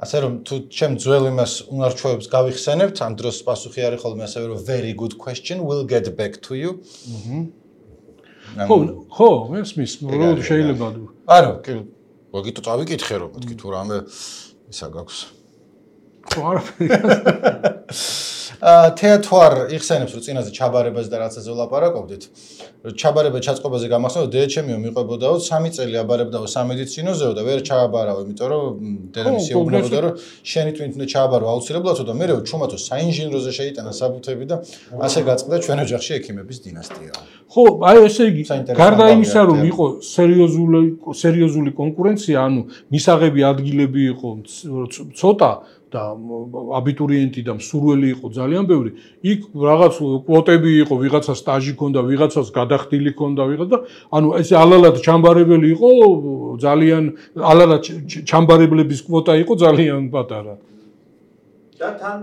ასე რომ თუ ჩემ ძველ იმას უნარჩვევებს გავიხსენებთ, ამ დროს პასუხი არის ხოლმე ასევე რომ very good question, we'll get back to you. აჰა. ხო, ხო, მესმის, რომ შეიძლება. არა, კი, მოგიტო წავიკითხე რომ მეთქი თუ რამე ისა გაქვს. ხო, არაფერი. აა თეატარ იხსენებს რომ წინაზე ჩაბარებას და რაღაცაზე ვლაპარაკობდით. ჩაბარება ჩაწყობაზე გამახსენდა დედაჩემიო მიყვებოდაო სამი წელი აბარებდაო სამედიცინოზეო და ვერ ჩააბარავ, იმიტომ რომ დედამისი ეუბნებოდა რომ შენი twin უნდა ჩააბარო აუცილებლად და მე ჩუმათო საინჟინროზე შეიტანა საბუთები და ასე გაწყდა ჩვენ ოჯახში ექიმების დინასტია. ხო, აი ესე იგი, გარდა იმისა რომ იყო სერიოზული სერიოზული კონკურენცია, ანუ მისაღები ადგილები იყო ცოტა და აბიტურიენტი და მსურველი იყო ძალიან ბევრი. იქ რაღაც კვოტები იყო, ვიღაცა სტაჟი ჰქონდა, ვიღაცას გადახდილი ჰქონდა, ვიღაცა და ანუ ეს ალალად ჩამბარებელი იყო ძალიან ალალად ჩამბარებლების კვოტა იყო ძალიან პატარა. და თან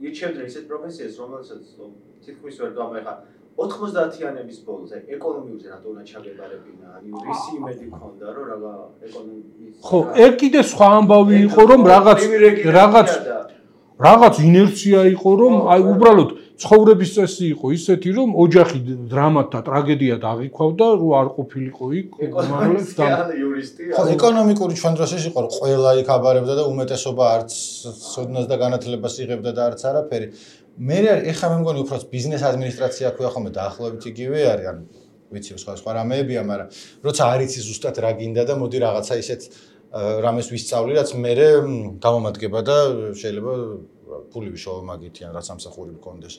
ირჩევდნენ ისეთ პროფესიას, რომელსაც თითქმის ვერ გამეხა ოთხმოცდაათიანების ბოლოს, აი ეკონომიურზე რატო უნდა ჩაგებარებინა, ანუ რისი იმედი ქონდა, რომ რაღა ეკონომიკის ხო, ეგ კიდე სხვა ამბავი იყო, რომ რაღაც რაღაც რაღაც ინერცია იყო, რომ აი უბრალოდ ცხოვრების წესი იყო ისეთი, რომ ოჯახი დრამად და ტრაგედიად აღიქვავდა, რომ არ ყოფილიყო იქ ეკონომისტი ან იურისტი. ხო, ეკონომიკური ჩვენ დროს ის იყო, რომ ყველა იქ აბარებდა და უმეტესობა არც სოდნას და განათლებას იღებდა და არც არაფერი. მე ეხლა მე მგონი უფრო ბიზნეს ადმინისტრაცია ქვია ხოლმე დაახლოებით იგივე არის, ანუ ვიცი სხვა სხვა რამეებია, მაგრამ როცა არ იცი ზუსტად რა გინდა და მოდი რაღაცა ისეთ რამეს ვისწავლი, რაც მე გამომადგება და შეიძლება ფული ვიშოვო მაგით ან რაც ამსახური მქონდეს.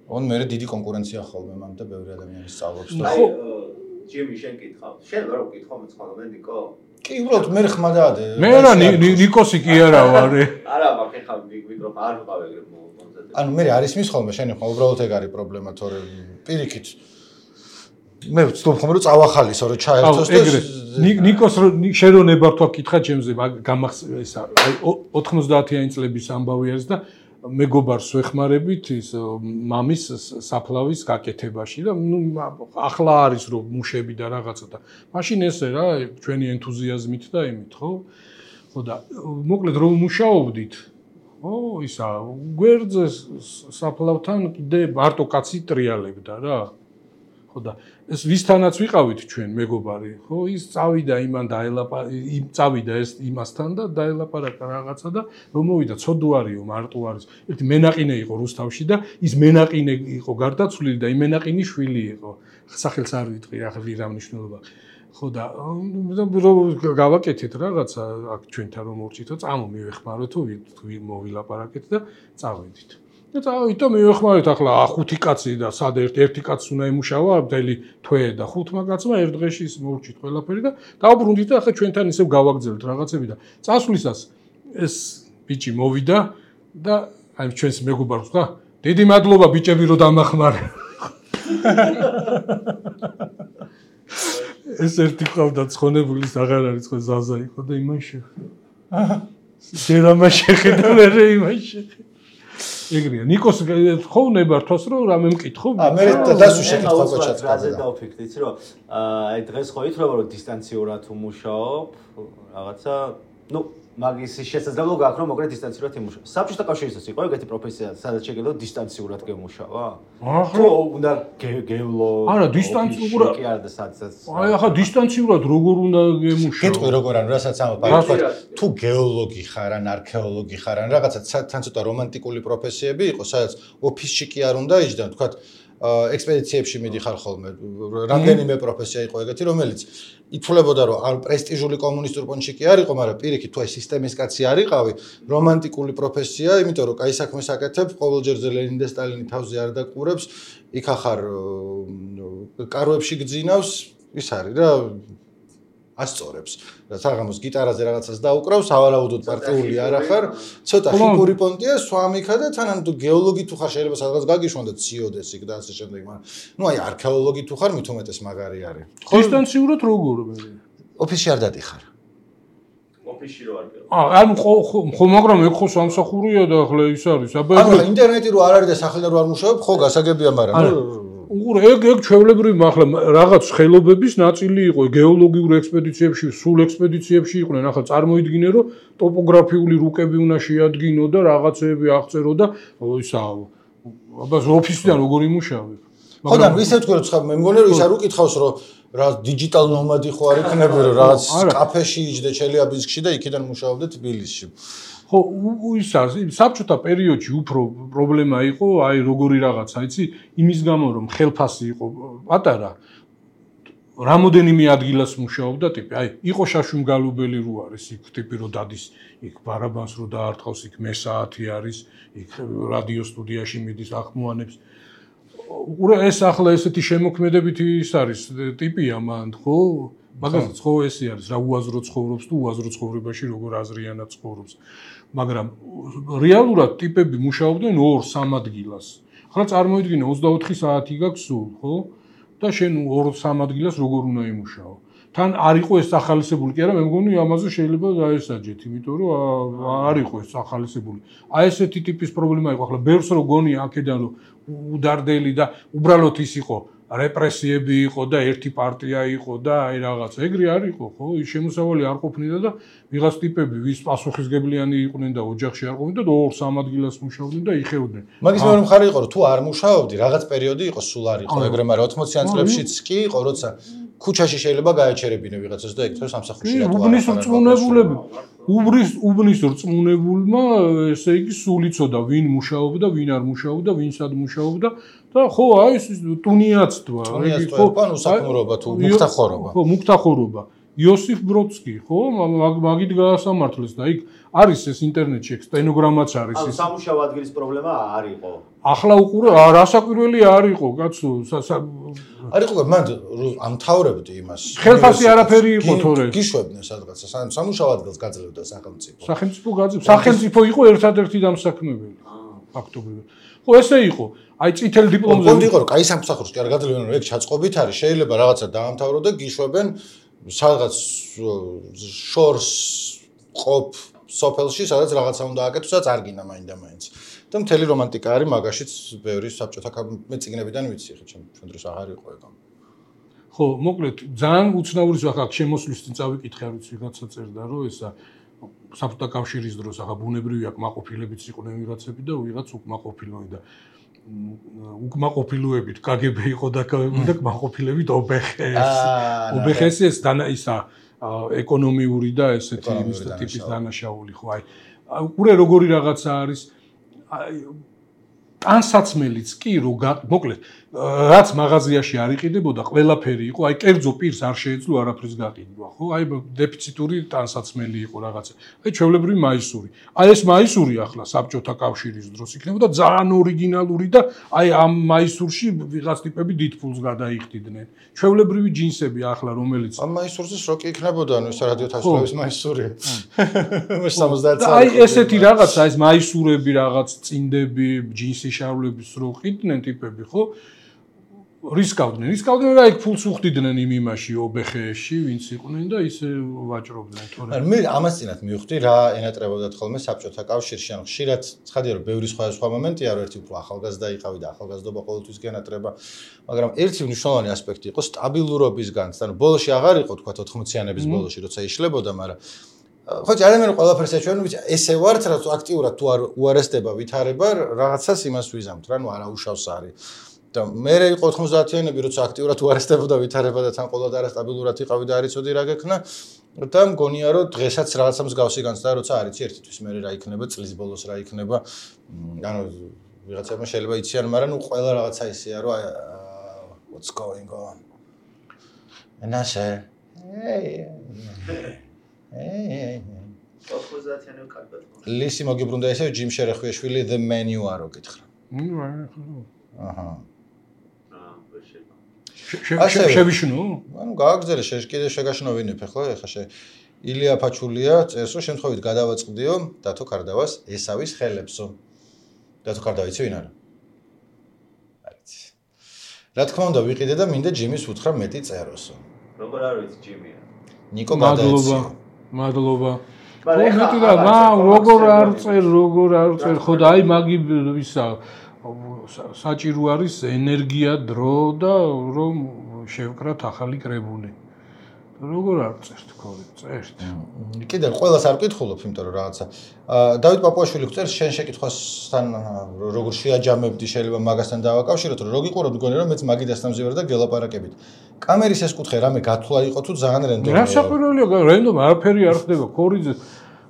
on მე დიდი კონკურენცია ხოლმე მან და ბევრი ადამიანი სწავლობს და ხო ჯიმი შენ კითხავ. შენ რა უკითხავ მეცხადა მე ნიკო? კი, უბრალოდ მე ხმა დაადე. მე რა ნიკოსი კი არა ვარ. არა, მაგ ხა მიკროფონი არ ვყავ ეგრე მომზადე. ანუ მე არის მის ხოლმე შენი ხმა უბრალოდ ეგ არის პრობლემა, თორე პირიქით მე ვცდილობ ხოლმე რომ წავახალისო, რომ ჩაერთოს და ნიკოს შენ რო ნებართვა კითხა ჩემზე, გამახსენე ესა აი ოთხმოცდაათიანი წლების ამბავი არის და მეგობარს ვეხმარებით ის მამის საფლავის გაკეთებაში და ნუ ახლა არის რომ მუშები და რაღაცა და მაშინ ესე რა ჩვენი ენთუზიაზმით და იმით ხო ხო და მოკლედ რომ მუშაობდით ხო ისა გვერდზე საფლავთან კიდე მარტო კაცი ტრიალებდა რა ხო და ეს ვისთანაც ვიყავით ჩვენ მეგობარი ხო ის წავიდა იმან დაელაპა იმ წავიდა ეს იმასთან და დაელაპარაკა რაღაცა და რომ მოვიდა ცოდუარიო მარტო არის ერთი მენაყინე იყო რუსთავში და ის მენაყინე იყო გარდაცვლილი და იმ მენაყინის შვილი იყო სახელს არ ვიტყვი რა რა მნიშვნელობა ხო და რომ გავაკეთეთ რაღაცა აქ ჩვენთან რომ მოვჭითო წამო მივეხმაროთ თუ მოვილაპარაკეთ და წავედით და წავით და მივეხმარეთ ახლა ხუთი კაცი და სად ერთ ერთი კაცს უნდა ემუშავა მთელი თვე და ხუთმა კაცმა ერთ დღეში ის მოვჭით ყველაფერი და დავბრუნდით და ახლა ჩვენთან ისევ გავაგზავნეთ რაღაცები და წასვლისას ეს ბიჭი მოვიდა და აი ჩვენს მეგობარს ხა დიდი მადლობა ბიჭები რომ დამახმარე ეს ერთი ყავდა ცხონებულის აღარ არის ხო ზაზა იყო და იმან შეხედა. ჯერამა შეხედა მე იმან შეხედა. ეგრეა. ნიკოს ხოვნებართვას რომ რამე მკითხო? აა მე დასუ შეკითხვა გაჩაცხა. რაზე დავფიქრდი, იცი რომ აი დღეს ხო ითვლება რომ დისტანციურად უმუშაობ, რაღაცა, ну მაგის შესაძლებლობა გაქვს რომ მოკლედ დისტანციურად იმუშაო. საბჭოთა კავშირისას იყო ეგეთი პროფესია, სადაც შეგეძლო დისტანციურად გემუშავა? ახლა უნდა გევლო. არა, დისტანციურად კი არა და სადაც. აი ახლა დისტანციურად როგორ უნდა გემუშაო? გეტყვი როგორ ან რასაც ამბობ, აი თქვა თუ გეოლოგი ხარ ან არქეოლოგი ხარ ან რაღაცა თან ცოტა რომანტიკული პროფესიები იყო, სადაც ოფისში კი არ უნდა იჯდან, თქვა ექსპედიციებში მიდიხარ ხოლმე. რამდენიმე პროფესია იყო ეგეთი, რომელიც ითვლებოდა რომ არ პრესტიჟული კომუნისტურ პონჩი კი არ იყო, მაგრამ პირიქით თუ აი სისტემის კაცი არ იყავი, რომანტიკული პროფესია, იმიტომ რომ კაი საქმეს აკეთებ, ყოველჯერზე ლენინი და სტალინი თავზე არ დაკურებს, იქ ახარ კარვებში გძინავს, ის არის რა ასწორებს. და საღამოს გიტარაზე რაღაცას დაუკრავს, ავარაუდოდ პარტიული არ ახარ, ცოტა ხიპური პონტია, სვამიქა და თანამ თუ გეოლოგი თუ ხარ შეიძლება სადღაც გაგიშვან და ციოდეს იქ და ასე შემდეგ, მაგრამ ნუ აი არქეოლოგი თუ ხარ, მით უმეტეს მაგარი არის. დისტანციურად როგორ მე? ოფისში არ დადიხარ. ოფისში რო არ გეო. აა ანუ ხო მაგრამ ეგ ხო სამსახურია და ახლა ის არის. აბა ანუ ინტერნეტი რო არ არის და სახელმწიფო რო არ მუშაობ, ხო გასაგებია, მაგრამ უყურე ეგ ეგ ჩვეულებრივი ახლა რაღაც ხელობების ნაწილი იყო გეოლოგიურ ექსპედიციებში, სულ ექსპედიციებში იყვნენ. ახლა წარმოიდგინე რომ ტოპოგრაფიული რუკები უნდა შეადგინო და რაღაცეები აღწერო და ისა აბა ოფისიდან როგორ იმუშავე? ხო და ისე თქვი რომ ცხა მე მგონი რომ ის არ უკითხავს რომ რა დიჯიტალ ნომადი ხო არ იქნები რომ რაღაც კაფეში იჯდე ჩელიაბინსკში და იქიდან მუშაობდე თბილისში. ხო, ის არის საბჭოთა პერიოდში უფრო პრობლემა იყო, აი როგორი რაღაცა, იცი, იმის გამო რომ ხელფასი იყო პატარა, რამოდენიმე ადგილას მუშაობდა ტიპი, აი, იყო შაშუმგალუბელი რო არის, იქ ტიპი რო დადის, იქ ბარაბანს რო დაარტყავს, იქ მესაათი არის, იქ რადიო სტუდიაში მიდის ახმოანებს. უყურე ეს ახლა ესეთი შემოქმედებითი ის არის ტიპია მან, ხო? მაგალითად, ხო ესე არის, რა უაზრო ცხოვრობს თუ უაზრო ცხოვრებაში როგორ აზრიანად ცხოვრობს. მაგრამ რეალურად ტიპები მუშაობდნენ ორ სამ ადგილას. ახლა წარმოიდგინე ოცდაოთხი საათი გაქვს სულ, ხო? და შენ ორ სამ ადგილას როგორ უნდა იმუშაო? თან არ იყო ეს ახალისებული, კი არა, მე მგონი ამაზე შეიძლება დაესაჯეთ, იმიტომ რომ არ იყო ეს ახალისებული. აი ესეთი ტიპის პრობლემა იყო. ახლა ბევრს რო გონია აქედან რომ უდარდელი და უბრალოდ ის იყო რეპრესიები იყო და ერთი პარტია იყო და აი რაღაც ეგრე არ იყო ხო ის შემოსავალი არ ყოფნიდა და ვიღაც ტიპები ვის პასუხისგებლიანი იყვნენ და ოჯახში არ ყოფნიდა და ორ სამ ადგილას მუშაობდნენ და იხეოდნენ მაგის მეორე მხარე იყო რომ თუ არ მუშაობდი რაღაც პერიოდი იყო სულ არ იყო ეგრე მაგრამ ოცდაოციან წლებშიც კი იყო როცა ქუჩაში შეიძლება გაეჩერებინე ვიღაცას და ეგ თორე სამსახურში რატო არ უბნის რწმუნებულები უბრის უბნის რწმუნებულმა ესე იგი სულ იცოდა ვინ მუშაობდა ვინ არ მუშაობდა ვინ სად მუშაობდა და ხო აი ეს ტუნიაცტვა იგი ხო ანუ საკმურობა თუ მუქთახორობა ხო მუქთახორობა იოსიფ ბროდსკი ხო მაგით გაასამართლეს და იქ არის ეს ინტერნეტში სტენოგრამაც არის ეს ანუ სამუშაო ადგილის პრობლემა არ იყო ახლა უყურე რასაკვირველი არ იყო კაცო არ იყო მან ამთავრებდი იმას ხელფასი არაფერი იყო თორე გიშვებდნენ სადღაცა სამუშაო ადგილს გაძლევდა სახელმწიფო სახელმწიფო გაძლევდა სახელმწიფო იყო ერთადერთი დამსაქმებელი ფაქტობრივად ხო ესე იყო აი წითელ დიპლომზე კონდი იყო რომ კაი სამსახურს კი არ გაძლევენ რომ ეგ ჩაწყობით არის შეიძლება რაღაცა დაამთავრო და გიშვებენ სადღაც შორს ყოფ სოფელში სადაც რაღაცა უნდა აკეთოს სადაც არ გინდა მაინდა მაინც და მთელი რომანტიკა არის მაგაშიც ბევრი საბჭოთა მე წიგნებიდან ვიცი ხე ჩვენ ჩვენ დროს აღარ იყო ეგ ხო მოკლედ ძალიან უცნაური ზახა შემოსვლის წინ წავიკითხე არ ვიცი ვიღაცა წერდა რომ ესა საბჭოთა კავშირის დროს ახლა ბუნებრივია კმაყოფილებიც იყვნენ ვიღაცები და ვიღაც უკმაყოფილოი და უკმაყოფილოებით კგბ იყო და და კმაყოფილებით ობეხეს ობეხეს ეს დანა ისა ეკონომიური და ესეთი ის ტიპის დანაშაული ხო აი უყურე როგორი რაღაცა არის აი ტანსაცმელიც კი რო მოკლედ რაც მაღაზიაში არ იყიდებოდა ყველაფერი იყო აი კერძო პირს არ შეეძლო არაფრის გაყიდვა ხო აი დეფიციტური ტანსაცმელი იყო რაღაცა აი ჩვეულებრივი მაისური აი ეს მაისური ახლა საბჭოთა კავშირის დროს იქნებოდა ძალიან ორიგინალური და აი ამ მაისურში ვიღაც ტიპები დიდ ფულს გადაიხდიდნენ ჩვეულებრივი ჯინსები ახლა რომელიც ამ მაისურზე სროკი იქნებოდა ანუ ეს რადიო თავისუფლების მაისური სამოცდაათი აი ესეთი რაღაცა ეს მაისურები რაღაც წინდები ჯინსი შარვლების რო ყიდნენ ტიპები ხო რისკავდნენ. რისკავდნენ და იქ ფულს უხდიდნენ იმ იმაში ობეხეში, ვინც იყვნენ და ისე ვაჭრობდნენ, თორემ. ანუ მე ამას წინათ მივხვდი რა ენატრებოდათ ხოლმე საბჭოთა კავშირში, ანუ ხშირად ცხადია რომ ბევრი სხვა მომენტია, რომ ერთი უფრო ახალგაზრდა იყავი და ახალგაზრდობა ყოველთვის გენატრება, მაგრამ ერთი მნიშვნელოვანი ასპექტი იყო სტაბილურობისგან, ანუ ბოლოში აღარ იყო თქვა ოთხმოციანების ბოლოში, როცა იშლებოდა, მაგრამ ხო ძალიან ყველაფერს ეჩვენა, ვიცი, ესე ვართ, რაც აქტიურად თუ არ უარესდება ვითარება, რაღაცას იმას ვიზამთ რა, ნუ არაუშავს არის. და მე იყო ოთხმოცდაათიანები, როცა აქტიურად უარესდებოდა ვითარება და თან ყოველდღე არასტაბილურად იყავი და არ იცოდი რა გექნა და მგონია რომ დღესაც რაღაცა მსგავსი განცდა როცა არ იცი ერთი თვის მე რა იქნება წლის ბოლოს რა იქნება ანუ ვიღაცებმა შეიძლება იციან მაგრამ ნუ ყველა რაღაცა ისეა რომ what's going on and I said hey hey ოთხმოცდაათიანები კარგად ლისი მოგიბრუნდა ესე ჯიმ შერეხვიაშვილი the menu არო გითხრა აჰა შევიშნო? ანუ გააგზელე შე კიდე შეგაშნოვინებ ახლა ეხა შე ილია ფაჩულია წერს რომ შემთხვევით გადავაწყდიო დათო კარდავას ესავის ხელებსო დათო კარდავა იცი ვინ არა? არიცი რა თქმა უნდა ვიყიდე და მინდა ჯიმის უთხრა მეტი წეროსო როგორ არ ვიცი ჯიმია ნიკო გადაეცი მადლობა ხო მეტი და მა როგორ არ წერ როგორ არ წერ ხო და აი მაგი ისა საჭირო არის ენერგია, დრო და რომ შევკრათ ახალი კრებული. როგორ არ წერთ ხოლმე, წერთ. კიდევ ყველას არ ვკითხულობ, იმიტომ რომ რაღაცა. დავით პაპუაშვილი გწერს შენ შეკითხვასთან როგორ შეაჯამებდი შეიძლება მაგასთან დავაკავშიროთ, რომ როგორ იყურო მგონი რომ მეც მაგიდასთან მზივარ და გელაპარაკებით. კამერის ეს კუთხე რამე გათვლა იყო თუ ძალიან რენდომია. რა საყვირველია, რენდომ არაფერი არ ხდება, ქორიძე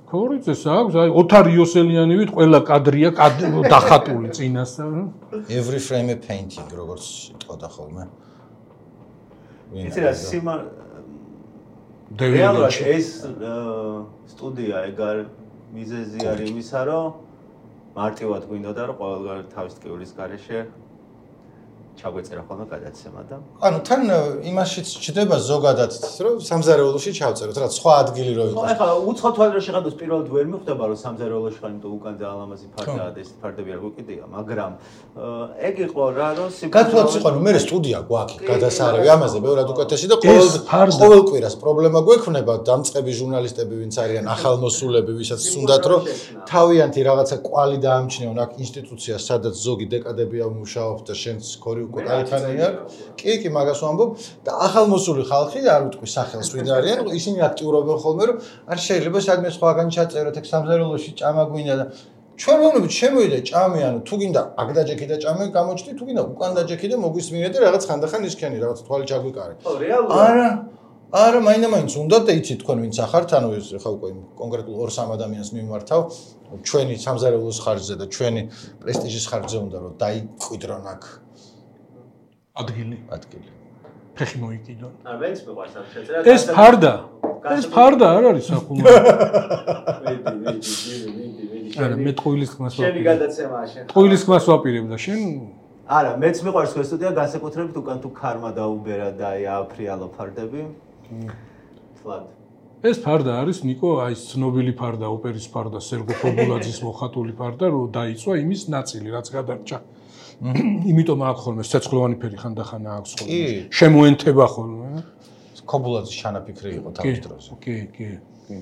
ქორიძეს აქვს, აი ოთარ იოსელიანივით ყველა კადრია დახატული წინასწარ. Every frame a painting, როგორც იტყოდა ხოლმე. იცი რა სიმა რეალურად ეს სტუდია ეგარ მიზეზი არის იმისა, რომ მარტივად გვინდოდა რომ ყოველგვარ თავის ტკივილის გარეშე ჩაგვეწერა ხოლმე გადაცემა და ანუ თან იმაშიც ჩდება ზოგადად რომ სამზარეულოში ჩავწეროთ რა სხვა ადგილი რო იყოს. ხო ეხლა უცხო თვალით შეხედოს პირველად ვერ მიხვდება რომ სამზარეულოში ხარ იმიტომ უკან ძალიან ლამაზი ფარდაა და ეს ფარდები არ გვიყიდია მაგრამ ეგ იყო რა რომ გათვლაც იყო რომ მე სტუდია გვაქვს გადასარევი ამაზე ბევრად უკეთესი და ყოველ ყოველ კვირას პრობლემა გვექნება დამწყები ჟურნალისტები ვინც არიან ახალმოსულები ვისაც უნდათ რომ თავიანთი რაღაცა კვალი დაამჩნიონ აქ ინსტიტუცია სადაც ზოგი დეკადებია მუშაობს და შენც ქორი უკვე კაიფანია კი კი მაგას ვამბობ და ახალმოსული ხალხი არ ვიტყვი სახელს ვინ არიან ისინი აქტიურობენ ხოლმე რომ არ შეიძლება სადმე სხვაგან ჩაწეროთ ეგ სამზარეულოში ჭამა გვინდა და ჩვენ ვამბობთ შემოიდა ჭამე ანუ თუ გინდა აქ დაჯექი და ჭამე გამოჩდი თუ გინდა უკან დაჯექი და მოგვისმინე და რაღაც ხანდახან ისქენი რაღაც თვალი ჩაგვიკარე ხო რეალურად არა არა მაინდა-მაინც უნდა და იცი თქვენ ვინც ახართ ანუ ეს ხა უკვე კონკრეტულ ორ სამ ადამიანს მიმართავ ჩვენი სამზარეულოს ხარჯზე და ჩვენი პრესტიჟის ხარჯზე უნდა რომ დაიკვიდრონ აქ ადგილი ადგილი ფეხი მოიკიდონ არ ვენც მიყვარს ამ შეწერა ეს ფარდა ეს ფარდა არ არის ახლა ვიდი ვიდი ვიდი ვიდი არა მე ტყუილის ხმას შენი გადაცემაა შენ ტყუილის ხმას ვაპირებ და შენ არა მეც მიყვარს ეს სტუდია განსაკუთრებით უკან თუ ქარმა დაუბერა და აი აფრიალო ფარდები თლად ეს ფარდა არის ნიკო აი ცნობილი ფარდა ოპერის ფარდა სერგო ფობულაძის მოხატული ფარდა რომ დაიწვა იმის ნაწილი რაც გადარჩა იმიტომ აქვს ხოლმე ცეცხლოვანი ფერი ხანდახან აქვს ხოლმე შემოენთება ხოლმე ქობულაძის ჩანაფიქრი იყო თავის დროზე კი კი კი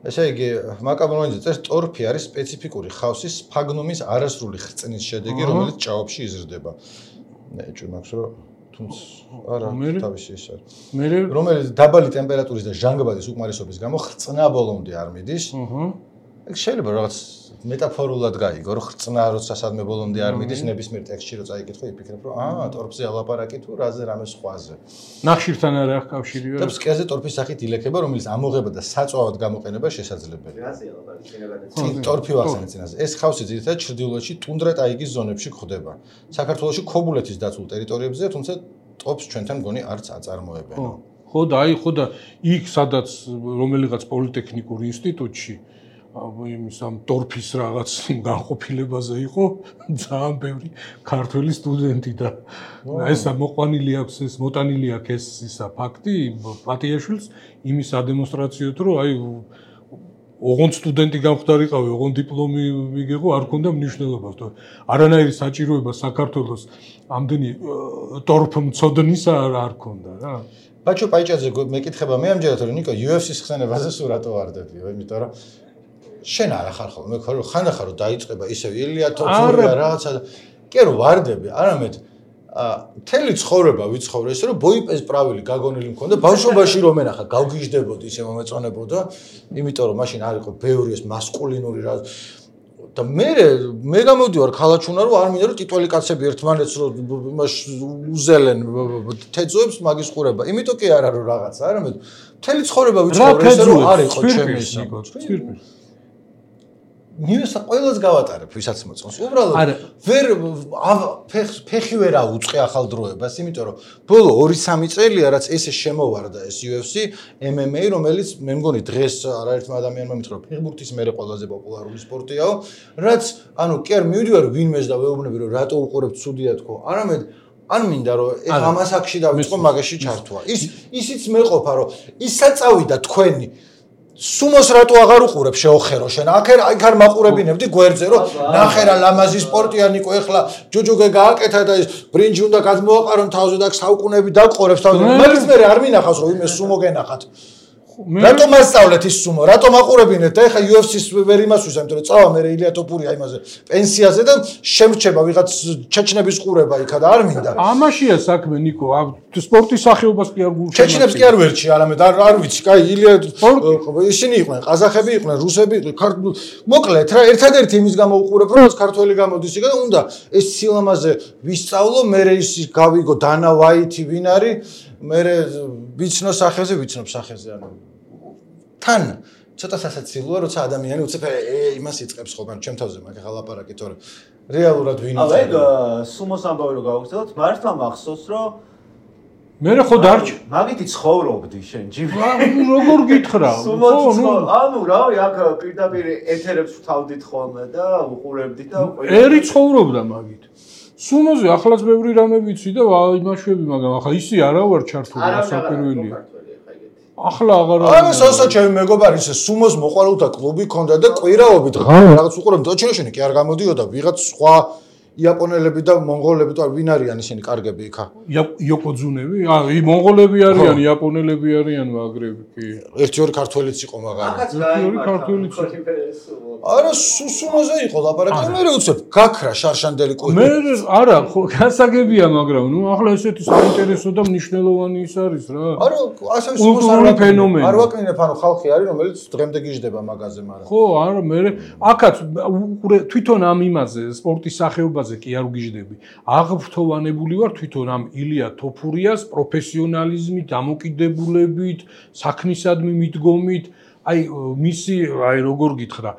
ესე იგი მაკაბონოიძე წერს ტორფი არის სპეციფიკური ხავსის სფაგნუმის არასრული ხრწნის შედეგი რომელიც ჭაობში იზრდება ნეჭვი მაქვს რომ თუმცა არა თავისი ის არის მე რომელიც დაბალი ტემპერატურის და ჟანგბადის უკმარისობის გამო ხრწნა ბოლომდე არ მიდის აჰა ეგ შეიძლება რაღაც მეტაფორულად გაიგო რომ ხრწნა როცა სადმე ბოლომდე არ მიდის ნებისმიერ ტექსტში რო წაიკითხო იფიქრებ რომ აა ტორფზე ალაპარაკი თუ რაზე რამე სხვაზე ნახშირთან არა აქვს კავშირი და ფსკერზე ტორფის სახით ილექება რომელიც ამოღება და საწვავად გამოყენება შესაძლებელია რაზე ალაპარაკი შენაგადაც ტორფი ვახსენე წინაზე ეს ხავსი ძირითადად ჩრდილოეთში ტუნდრა ტაიგის ზონებში გვხვდება საქართველოში ქობულეთის დაცულ ტერიტორიებზე თუმცა ტოპს ჩვენთან მგონი არც აწარმოებენ ხო და აი ხო და იქ სადაც რომელიღაც პოლიტექნიკურ ინსტიტუტში იმის ამ ტორფის რაღაც განყოფილებაზე იყო ძალიან ბევრი ქართველი სტუდენტი და ესა მოყვანილი აქვს ეს მოტანილი აქვს ეს ისა ფაქტი პატიაშვილს იმის ადემონსტრაციოდ რომ აი ოღონდ სტუდენტი გამხდარიყავი, ოღონდ დიპლომი მიგეღო, არ ქონდა მნიშვნელობას. არანაირი საჭიროება საქართველოს ამდენი ტორფმცოდნისა არ ქონდა რა. ბაჩო პაიჭაძე მეკითხება მე ამჯერად რომ ნიკო იუ ეფ სის ხსენებაზე სულ რატო ვარდებიო, იმიტომ რომ შენ არ ახარ ხოლმე, მე ხო ხანდახან რომ დაიწყება ისევ ილია თოფურია რაღაცა და კი რომ ვარდები, არამედ მთელი ცხოვრება ვიცხოვრე ისე რომ ბოიპეს პრავილი გაგონილი მქონდა ბავშვობაში რომ ენახა გავგიჟდებოდი ისე მომეწონებოდა იმიტომ რომ მაშინ არ იყო ბევრი ეს მასკულინური რა და მე მე გამოდივარ ქალაქჩუნა რომ არ მინდა რომ ტიტველი კაცები ერთმანეთს რომ იმას უზელენ თეძოებს მაგის ყურება იმიტომ კი არა რომ რაღაცა არამედ მთელი ცხოვრება ვიცხოვრე ისე რომ არ იყო ჩემი ისა ნიუსა ყველას გავატარებ ვისაც მოწონს. უბრალოდ ვერ ფეხი ვერ აუწყე ახალ დროებას, იმიტომ რომ ბოლო ორი სამი წელია რაც ესე შემოვარდა ეს იუ ეფ სი ემ ემ ეი, რომელიც მე მგონი დღეს არაერთმა ადამიანმა მითხრა ფეხბურთის მერე ყველაზე პოპულარული სპორტიაო, რაც ანუ კი არ მივიდივარ ვინმეს და ვეუბნები რომ რატო უყურებ ცუდია თქო, არამედ არ მინდა რომ ეხლა ამას აქში დავიწყო მაგაში ჩართვა. ის ისიც მეყოფა რომ ის საწავიდა თქვენი სუმოს რატო აღარ უყურებ შეოხერო შენ აქ აქ არ მაყურებინებდი გვერდზე რომ ნახერა ლამაზი სპორტია ნიკო ეხლა ჯოჯოგე გააკეთა და ის ბრინჯი უნდა გადმოაყარონ თავზე და საუკუნები დაყურებს თავზე მაგის მე არ მინახავს რომ იმე სუმო გენახათ რატო მასწავლეთ ის სუმო რატო მაყურებინეთ და ეხლა იუ ეფ სის ვერ იმასვისა იმიტომ რომ წავა მე ილია თოფურია იმაზე პენსიაზე და შემრჩება ვიღაც ჩეჩნების ყურება იქა და არ მინდა ამაშია საქმე ნიკო სპორტის სახეობას კი არ გულშემატკივრია ჩეჩნებს კი არ ვერჩი არამედ არ არ ვიცი კაი ილია ისინი იყვნენ ყაზახები იყვნენ რუსები იყვნენ მოკლედ რა ერთადერთი იმის გამო უყურებ რომ ქართველი გამოდის იქა და უნდა ეს სილამაზე ვისწავლო მე ის გავიგო დანა ვაითი ვინ არის მე ვიცნო სახეზე ვიცნობ სახეზე ანუ თან ცოტა სასაცილოა როცა ადამიანი უცებ იმას იწყებს ხოლმე ჩემ თავზე მაგ ახლა ლაპარაკი თორე რეალურად ვინ არის აი სუმოს ამბავი რო გავაგზავნოთ მართლა მახსოვს რომ მე ხო დარჩი მაგითი ცხოვრობდი შენ ჯიმი როგორ გითხრა ხო ანუ რავი აქ პირდაპირ ეთერებს ვთავდით ხოლმე და უყურებდით და ერი ცხოვრობდა მაგით სუმოზე ახლაც ბევრი რამე ვიცი და იმაშვები მაგრამ ახლა ისი არა ვარ ჩართული ასაკვირველია ახლა აღარ ანუ სასა ჩემი მეგობარი ისე სუმოს მოყვარულთა კლუბი ქონდა და კვირაობით რაღაც უყურებდა ოჩინოშენი კი არ გამოდიოდა ვიღაც სხვა იაპონელები და მონღოლები და ვინ არიან ისინი კარგები იქა იოკოძუნები აი მონღოლები არიან იაპონელები არიან მაგრები კი ერთი ორი ქართველიც იყო მაგარი ერთი ორი ქართველიც არა სუმოზე იყო ლაპარაკი მე უცებ გაქრა შარშანდელი კვირი მე არა ხო გასაგებია მაგრამ ნუ ახლა ესეთი საინტერესო და მნიშვნელოვანი ის არის რა არა ასე კულტურული ფენომენი არ ვაკნინებ ანუ ხალხი არის რომელიც დღემდე გიждდება მაგაზე მაგრამ ხო არა მე აქაც თვითონ ამ იმაზე სპორტის სახეობაზე კი არ უგიждები აღფრთოვანებული ვარ თვითონ ამ ილია თოფურიას პროფესიონალიზმით დამოკიდებულებით საქმისადმი მიდგომით აი მისი აი როგორ გითხრა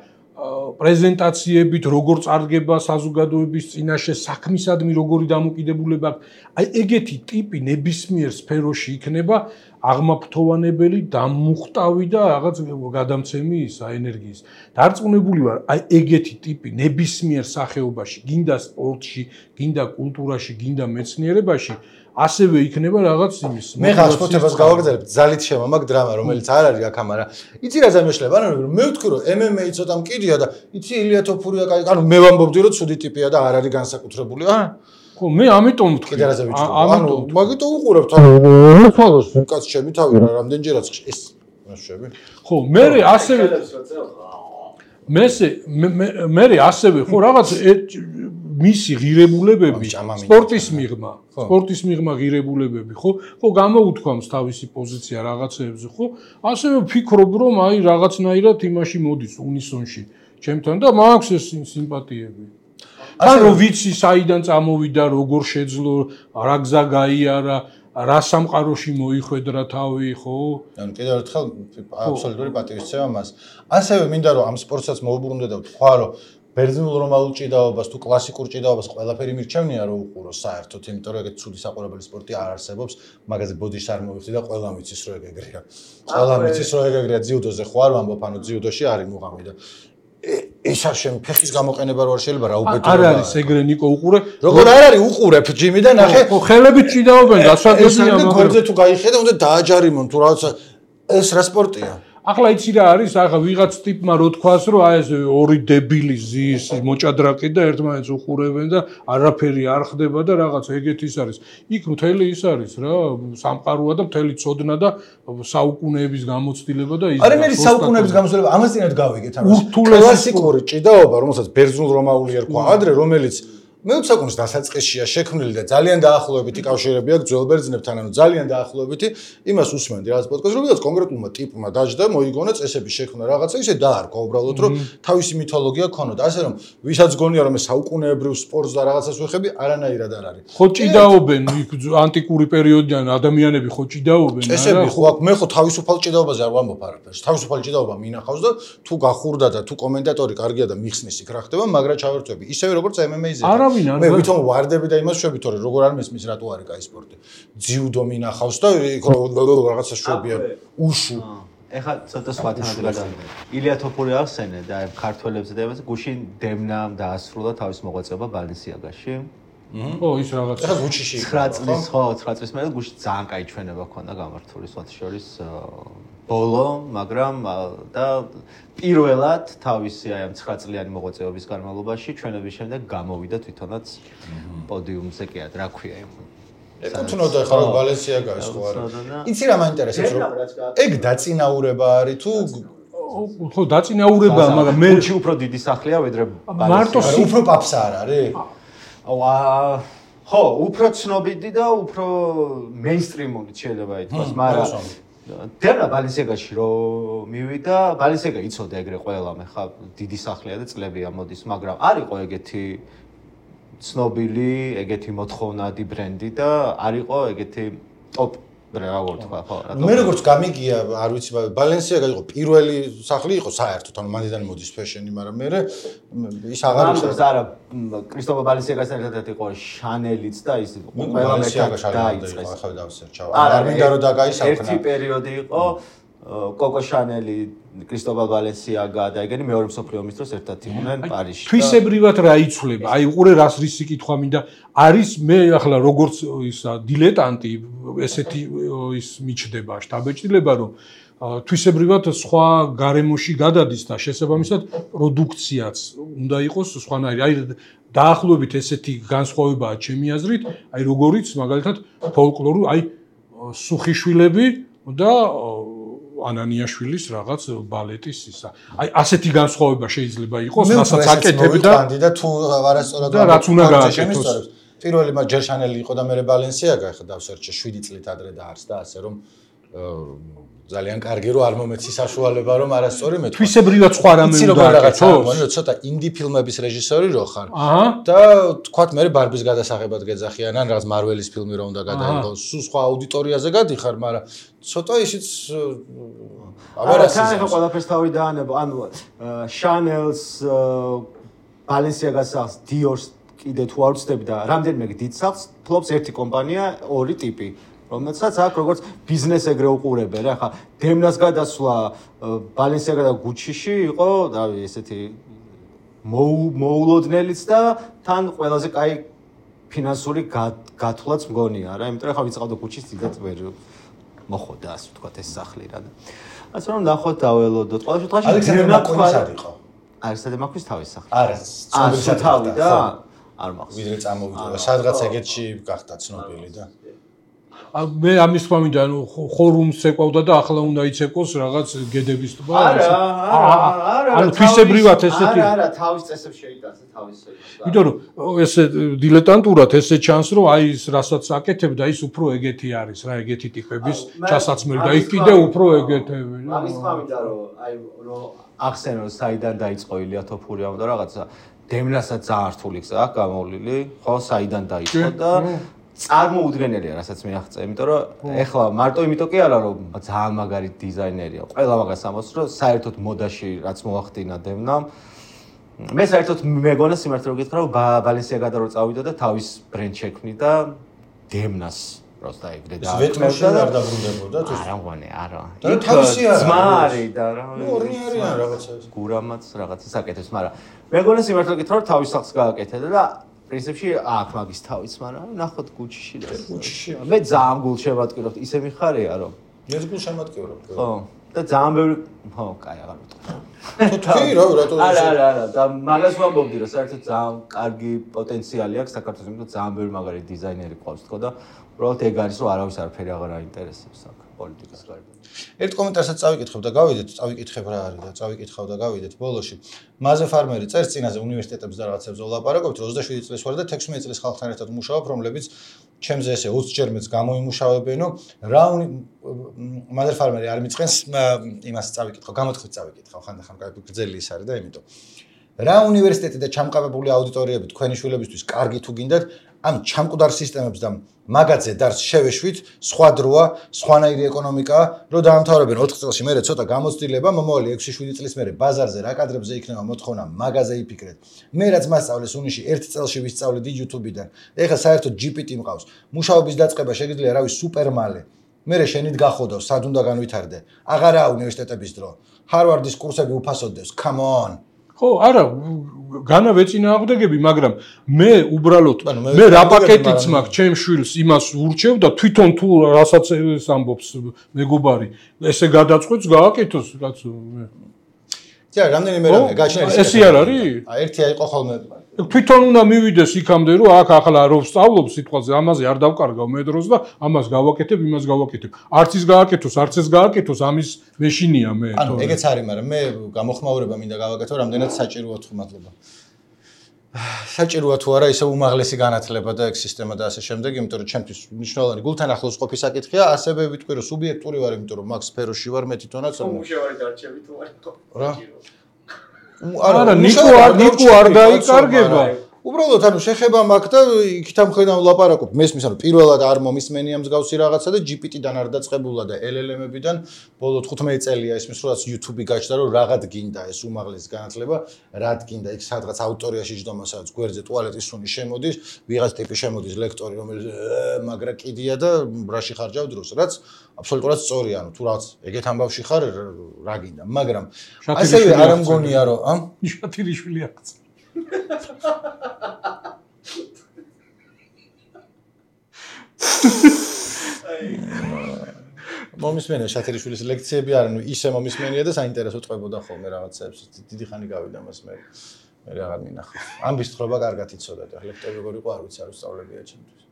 პრეზენტაციებით როგორ წარდგება საზოგადოების წინაშე საქმისადმი როგორი დამოკიდებულება აი ეგეთი ტიპი ნებისმიერ სფეროში იქნება აღმაფრთოვანებელი დამუხტავი და რაღაც გადამცემი ისა ენერგიის დარწმუნებული ვარ აი ეგეთი ტიპი ნებისმიერ სახეობაში გინდა სპორტში გინდა კულტურაში გინდა მეცნიერებაში ასევე იქნება რაღაც იმის მე ხალხს ფოთებას გავაგზავნებ ძალით შემამაგ დრამა რომელიც არ არის აქ ამარა იცი რა ზამეშლება ანუ მე ვთქვი რომ ემ ემ ეი ცოტა მკიდია და იცი ილია თოფურია კაი ანუ მე ვამბობდი რომ ცუდი ტიპია და არ არის განსაკუთრებული აა ხო მე ამიტომ ვთქვი კიდე რაზე ვიწყო ანუ მაგიტო უყურებთ ანუ ფალოს კაც ჩემი თავი რა რამდენჯერაც ეს მასშები ხო მე ასევე მესე მე ასევე ხო რაღაც მისი ღირებულებები სპორტის მიღმა სპორტის მიღმა ღირებულებები ხო ხო გამოუთქვამს თავისი პოზიცია რაღაცეებზე ხო ასევე ვფიქრობ რომ აი რაღაცნაირად იმაში მოდის უნისონში ჩემთან და მაქვს ეს სიმპათიები ან რო ვიცი საიდან წამოვიდა როგორ შეძლო რა გზა გაიარა რა სამყაროში მოიხვედრა თავი ხო ანუ კიდევ ერთხელ აბსოლუტური პატივისცემა მას ასევე მინდა რომ ამ სპორტსაც მოუბრუნდე და ვთქვა რომ ბერძნულ რომაულ ჭიდაობას თუ კლასიკურ ჭიდაობას ყველაფერი მირჩევნია რომ უყურო საერთოდ იმიტომ რომ ეგეთ ცუდი საყურებელი სპორტი არ არსებობს მაგაზე ბოდიშს არ მოვიხდი და ყველამ იცის რომ ეგ ეგრეა ყველამ იცის რომ ეგ ეგრეა ძიუდოზე ხო არ ვამბობ ანუ ძიუდოში არის მუღამი და ეს არ შემ ფეხის გამოყენება რო არ შეიძლება რა უბედურება არ არის ეგრე ნიკო უყურე როგორ არ არის უყურებ ჯიმი და ნახე ხო ხელებით ჭიდაობენ გასაგებია მაგრამ გვერდზე თუ გაიხედა უნდა დააჯარიმონ თუ რაღაცა ეს რა სპორტია ახლა იცი რა არის, ახლა ვიღაც ტიპმა რო თქვას, რომ აი ეს ორი დებილი ზის მოჭადრაკე და ერთმანეთს უყურებენ და არაფერი არ ხდება და რაღაც ეგეთ ის არის. იქ მთელი ის არის რა, სამყაროა და მთელი ცოდნა და საუკუნეების გამოცდილება და ის. არა, მე საუკუნეების გამოცდილება, ამას წინათ გავიგეთ, ამას. კლასიკური ჭიდაობა, რომელსაც ბერძნულ რომაული ერქვა ადრე, რომელიც მეოცე საუკუნის დასაწყისშია შექმნილი და ძალიან დაახლოებითი კავშირები აქვს ძველ ბერძნებთან, ანუ ძალიან დაახლოებითი, იმას უსმენდი რაღაც პოდკასტს, რომ ვიღაც კონკრეტულმა ტიპმა დაჯდა, მოიგონა წესების შექმნა რაღაცა, ისე დაარქვა უბრალოდ, რომ თავისი მითოლოგია ქონოდა, ასე რომ ვისაც გონია რომ ეს საუკუნეებრივ სპორტს და რაღაცას ვეხები, არანაირად არ არის. ხო ჭიდაობენ ანტიკური პერიოდიდან ადამიანები ხო ჭიდაობენ, არა? წესები ხო აქ მე ხო თავისუფალ ჭიდაობაზე არ ვამბობ არაფერს. თავისუფალ ჭიდაობა მინახავს და თუ გახურდა და თუ კომენტატორი კარგია და მიხსნის იქ რა ხდება, მაგრამ ჩავერთვები. ისევე როგორც ემ ემ ეი-ზე. მე ვითომ ვარდები და იმას შვები თორე როგორ არ მესმის რატო არის კაი სპორტი. ძიუდო მინახავს და იქ რაღაცა შვებია უშუ. ეხლა ცოტა სხვათანაც გადავიდე. ილია თოფური ახსენე და ქართველებზე და იმაზე გუშინ დემნამ დაასრულა თავის მოღვაწეობა ბალენსიაგაში. ო ის რაღაც ეხლა გუჩიში ცხრა წლის ხო ცხრა წლის მერე გუშინ ძალიან კაი ჩვენება ქონდა გამართული სხვათა შორის ბოლო, მაგრამ და პირველად თავისი აი ამ ცხრა წლიანი მოღვაწეობის განმავლობაში ჩვენების შემდეგ გამოვიდა თვითონაც პოდიუმზე კი არა, რა ქვია იმ ეკუთვნოდა ახლა ბალენსიაგას ხო არა. იცი რა მაინტერესებს რომ ეგ დაწინაურება არის თუ ხო დაწინაურებაა, მაგრამ მე გუჩი უფრო დიდი სახლია ვიდრე მარტო უფრო პაპსა არ არის? ვა ხო, უფრო ცნობილი და უფრო მეინსტრიმული შეიძლება ითქვას, მაგრამ დემნა ბალენსიაგაში რო მივიდა, ბალენსიაგა იცოდა ეგრე ყველამ, ხა დიდი სახლია და წლებია მოდის, მაგრამ არ იყო ეგეთი ცნობილი, ეგეთი მოთხოვნადი ბრენდი და არ იყო ეგეთი ტოპ როგორ თქვა, ხო? მე როგორც გამიგია, არ ვიცი, ბალენსიაგა იყო პირველი სახლი იყო საერთოდ, ანუ მანდიდან მოდის ფეშენი, მაგრამ მე ის აღარ არის არა კრისტოფო ბალენსიაგასთან ერთად იყო შანელიც და ის ყველა ბალენსიაგაში დაიწყეს. ახლა დავსერჩავ. არ მინდა რომ დაგაისახნა. ერთი პერიოდი იყო კოკო შანელი, კრისტოფო ბალენსიაგა და ეგენი მეორე მსოფლიო ომის დროს ერთად იყვნენ პარიზში. თვისებრივად რა იცვლება? აი უყურე რას რისი კითხვა მინდა. არის მე ახლა როგორც ისა დილეტანტი ესეთი ის მიჩდება შტაბეჭდილება რომ თვისებრივად სხვა გარემოში გადადის და შესაბამისად პროდუქციაც უნდა იყოს სხვანაირი. აი დაახლოებით ესეთი განსხვავებაა ჩემი აზრით, აი როგორიც მაგალითად ფოლკლორი, აი სუხიშვილები და ანანიაშვილის რაღაც ბალეტის ისა. აი ასეთი განსხვავება შეიძლება იყოს, რასაც აკეთებდა და თუ არასწორად და რაც უნდა გააკეთოს. პირველი მაგ ჯერ შანელი იყო და მე ბალენსიაგა, ახლა დავსერჩე შვიდი წლით ადრე დაარსდა, ასე რომ ძალიან კარგი რომ არ მომეცი საშუალება რომ არასწორი მეთქვა. თვისებრივად სხვა რამე უნდა აკეთოს. ცოტა ინდი ფილმების რეჟისორი რო ხარ და თქვათ მე ბარბის გადასაღებად გეძახიან ან რაღაც მარველის ფილმი რო უნდა გადაიღოს, სულ სხვა აუდიტორიაზე გადიხარ, მაგრამ ცოტა ისიც აბარასის ახლა ყველაფერს თავი დაანებო, ანუ შანელს ბალენსიაგას დიორს კიდე თუ არ ვცდები და რამდენიმე დიდ სახლს ფლობს ერთი კომპანია, ორი ტიპი, რომელსაც აქ როგორც ბიზნეს ეგრე უყურებენ, რა ხა დემნას გადასვლა ბალენსიაგა და გუჩიში იყო, დავი ესეთი მოულოდნელიც და თან ყველაზე კაი ფინანსური გათვლაც მგონია რა, იმიტომ რომ ხა ვიწყავდა გუჩის დიდად ვერ მოხდა ასე ვთქვათ ეს სახლი რა. ასე რომ ნახოთ დაველოდოთ. ყველა შემთხვევაში ალექსანდრე მაკონის არ იყო. ალექსანდრე მაკონის თავის სახლი. არა, ცნობილი თავი და არ მახსოვს. ვიდრე წამოვიდა, სადღაც ეგეთში გახდა ცნობილი და მე ამის თქმა მინდა, ანუ ხორუმს ეკავდა და ახლა უნდა იცეკოს რაღაც გედების ტბა. არა, არა, ანუ თვისებრივად ესეთი. არა, არა, თავის წესებს შეიტანს თავის წესებს. იმიტომ რომ ესე დილეტანტურად ესე ჩანს, რომ აი ის რასაც აკეთებდა, ის უფრო ეგეთი არის რა, ეგეთი ტიპების ჩასაცმელი და იქ კიდე უფრო ეგეთები. ამის თქმა მინდა, რომ აი რომ ახსენო საიდან დაიწყო ილია თოფურიამ და რაღაცა დემნასაც ძალიან რთული გზა აქვს გამოვლილი, ხო, საიდან დაიწყო და წარმოუდგენელია, რასაც მე აღწევ, იმიტომ რომ ეხლა მარტო იმიტომ კი არა, რომ ძალიან მაგარი დიზაინერია. ყველა მაგას ამბობს, რომ საერთოდ მოდაში რაც მოახდინა დემნამ, მე საერთოდ მეგონა სიმართლე რომ გითხრა, რომ ბალენსიაგა რო წავიდა და თავის ბრენდ შექმნიდა დემნას. просто ეგრე და ვეტმოში არ დაბრუნდებოდა თუ არა მგონი არა და თავისი არა ძმა არის და რა ორი არიან რაღაცა გურამაც რაღაცას აკეთებს მაგრამ მეგონა სიმართლე გითხრა რომ თავის სახლს გააკეთებდა და პრინციპში აქ მაგის თავიც მაგრამ ნახოთ გუჩიში და გუჩიში მე ძალიან გულ შემატკივრობთ ისე მიხარია რომ ეს გულ შემატკივრობთ ხო და ძალიან ბევრი ხო, კაი, აღარ ვიტყვი. თქვი რა, რატო არა, არა, არა, და მაგას ვამბობდი, რომ საერთოდ ძალიან კარგი პოტენციალი აქვს საქართველოს, იმიტომ ძალიან ბევრი მაგარი დიზაინერი ყავს თქო და უბრალოდ ეგ არის, რომ არავის არაფერი აღარ აინტერესებს აქ პოლიტიკის გარდა. ერთ კომენტარსაც წავიკითხებ და გავიდეთ, წავიკითხებ რა არის და წავიკითხავ და გავიდეთ ბოლოში. მაზე ფარმერი წერს წინაზე უნივერსიტეტებს და რაღაცებს ვლაპარაკობთ, რომ ოცდაშვიდი წლის ვარ და თექვსმეტი წლის ხალხთან ერთად ვმუშაობ, რომლებიც ჩემზე ესე ოცი ჯერ მეც გამოიმუშავებენო, რა მაზე ფარმერი არ მიწყენს იმას წავიკითხავ, გამოთქვით წავიკითხავ, ხანდახან კაი გრძელი ის არის და იმიტომ. რა უნივერსიტეტი და ჩამყარებული აუდიტორიები თქვენი შვილებისთვის კარგი თუ გინდათ, ამ ჩამკვდარ სისტემებს და მაგაძე დარს შევეშვით, სხვა დროა, სხვანაირი ეკონომიკაა, რომ დაამთავრებენ ოთხ წელში, მერე ცოტა გამოცდილება, მომავალი ექვსი შვიდი წლის მერე ბაზარზე რა კადრებზე იქნება მოთხოვნა, მაგაზე იფიქრეთ. მე რაც მასწავლეს უნიში ერთ წელში ვისწავლედი YouTube-დან. ეხლა საერთოდ ჯი პი ტი მყავს. მუშაობის დაწყება შეგიძლია რავი სუპერმალე. მერე შენით გახოდავ, სად უნდა განვითარდე. აღარაა უნივერსიტეტების დრო. ჰარვარდის კურსები უფასოდებს. Come on. ხო, არა, განა ვეწინააღმდეგები, მაგრამ მე უბრალოდ მე რა პაკეტიც მაქვს ჩემ შვილს იმას ურჩევ და თვითონ თუ რასაც ამბობს მეგობარი, ესე გადაწყვეტს გააკეთოს, კაცო. ძა, რამდენიმე რამე გაჩნია ეს. ესე არ არის? აი, ერთი აიყო ხოლმე. თვითონ უნდა მივიდეს იქამდე, რომ აქ ახლა რო ვსწავლობ სიტყვაზე, ამაზე არ დავკარგავ მე დროს და ამას გავაკეთებ, იმას გავაკეთებ. არც ის გააკეთოს, არც ეს გააკეთოს, ამის მეშინია მე. ანუ ეგეც არის, მაგრამ მე გამოხმაურება მინდა გავაკეთო, რამდენად საჭიროა თუ მადლობა. საჭიროა თუ არა ისე უმაღლესი განათლება და ეგ სისტემა და ასე შემდეგ, იმიტომ რომ ჩემთვის მნიშვნელოვანი გულთან ახლოს ყოფის საკითხია, ასევე ვიტყვი რომ სუბიექტური ვარ, იმიტომ რომ მაგ სფეროში ვარ მე თვითონაც. უმუშევარი დარჩები თუ არ იყო. რა? არა, ნიკო არ ნიკო არ დაიკარგება. უბრალოდ ანუ შეხება მაქვს და იქით ამ ხედავ ლაპარაკობ. მესმის ანუ პირველად არ მომისმენია მსგავსი რაღაცა და ჯი პი ტი-დან არ დაწყებულა და ელ ელ ემებიდან ბოლო თხუთმეტი წელია ისმის როდესაც YouTube-ი გაჩნდა რომ რაღაც გინდა ეს უმაღლესი განათლება, რაც გინდა იქ სადღაც აუდიტორიაში ჯდომა სადაც გვერდზე ტუალეტის სუნი შემოდის, ვიღაც ტიპი შემოდის ლექტორი რომელიც მაგრა კიდია და რაში ხარჯავ დროს, რაც აბსოლუტურად სწორია, ანუ თუ რაღაც ეგეთ ამბავში ხარ რა გინდა, მაგრამ ასევე არ მგონია რომ ამ შათილიშვილი აქ მომისმენია შათერიშვილის ლექციები არ ანუ ისე მომისმენია და საინტერესო ტყებოდა ხოლმე რაღაცებს დიდი ხანი გავიდა მას მე მე აღარ მინახავს ამბის თხრობა კარგად იცოდა და ლექტორი როგორ იყო არ ვიცი არ ვსწავლებია ჩემთვის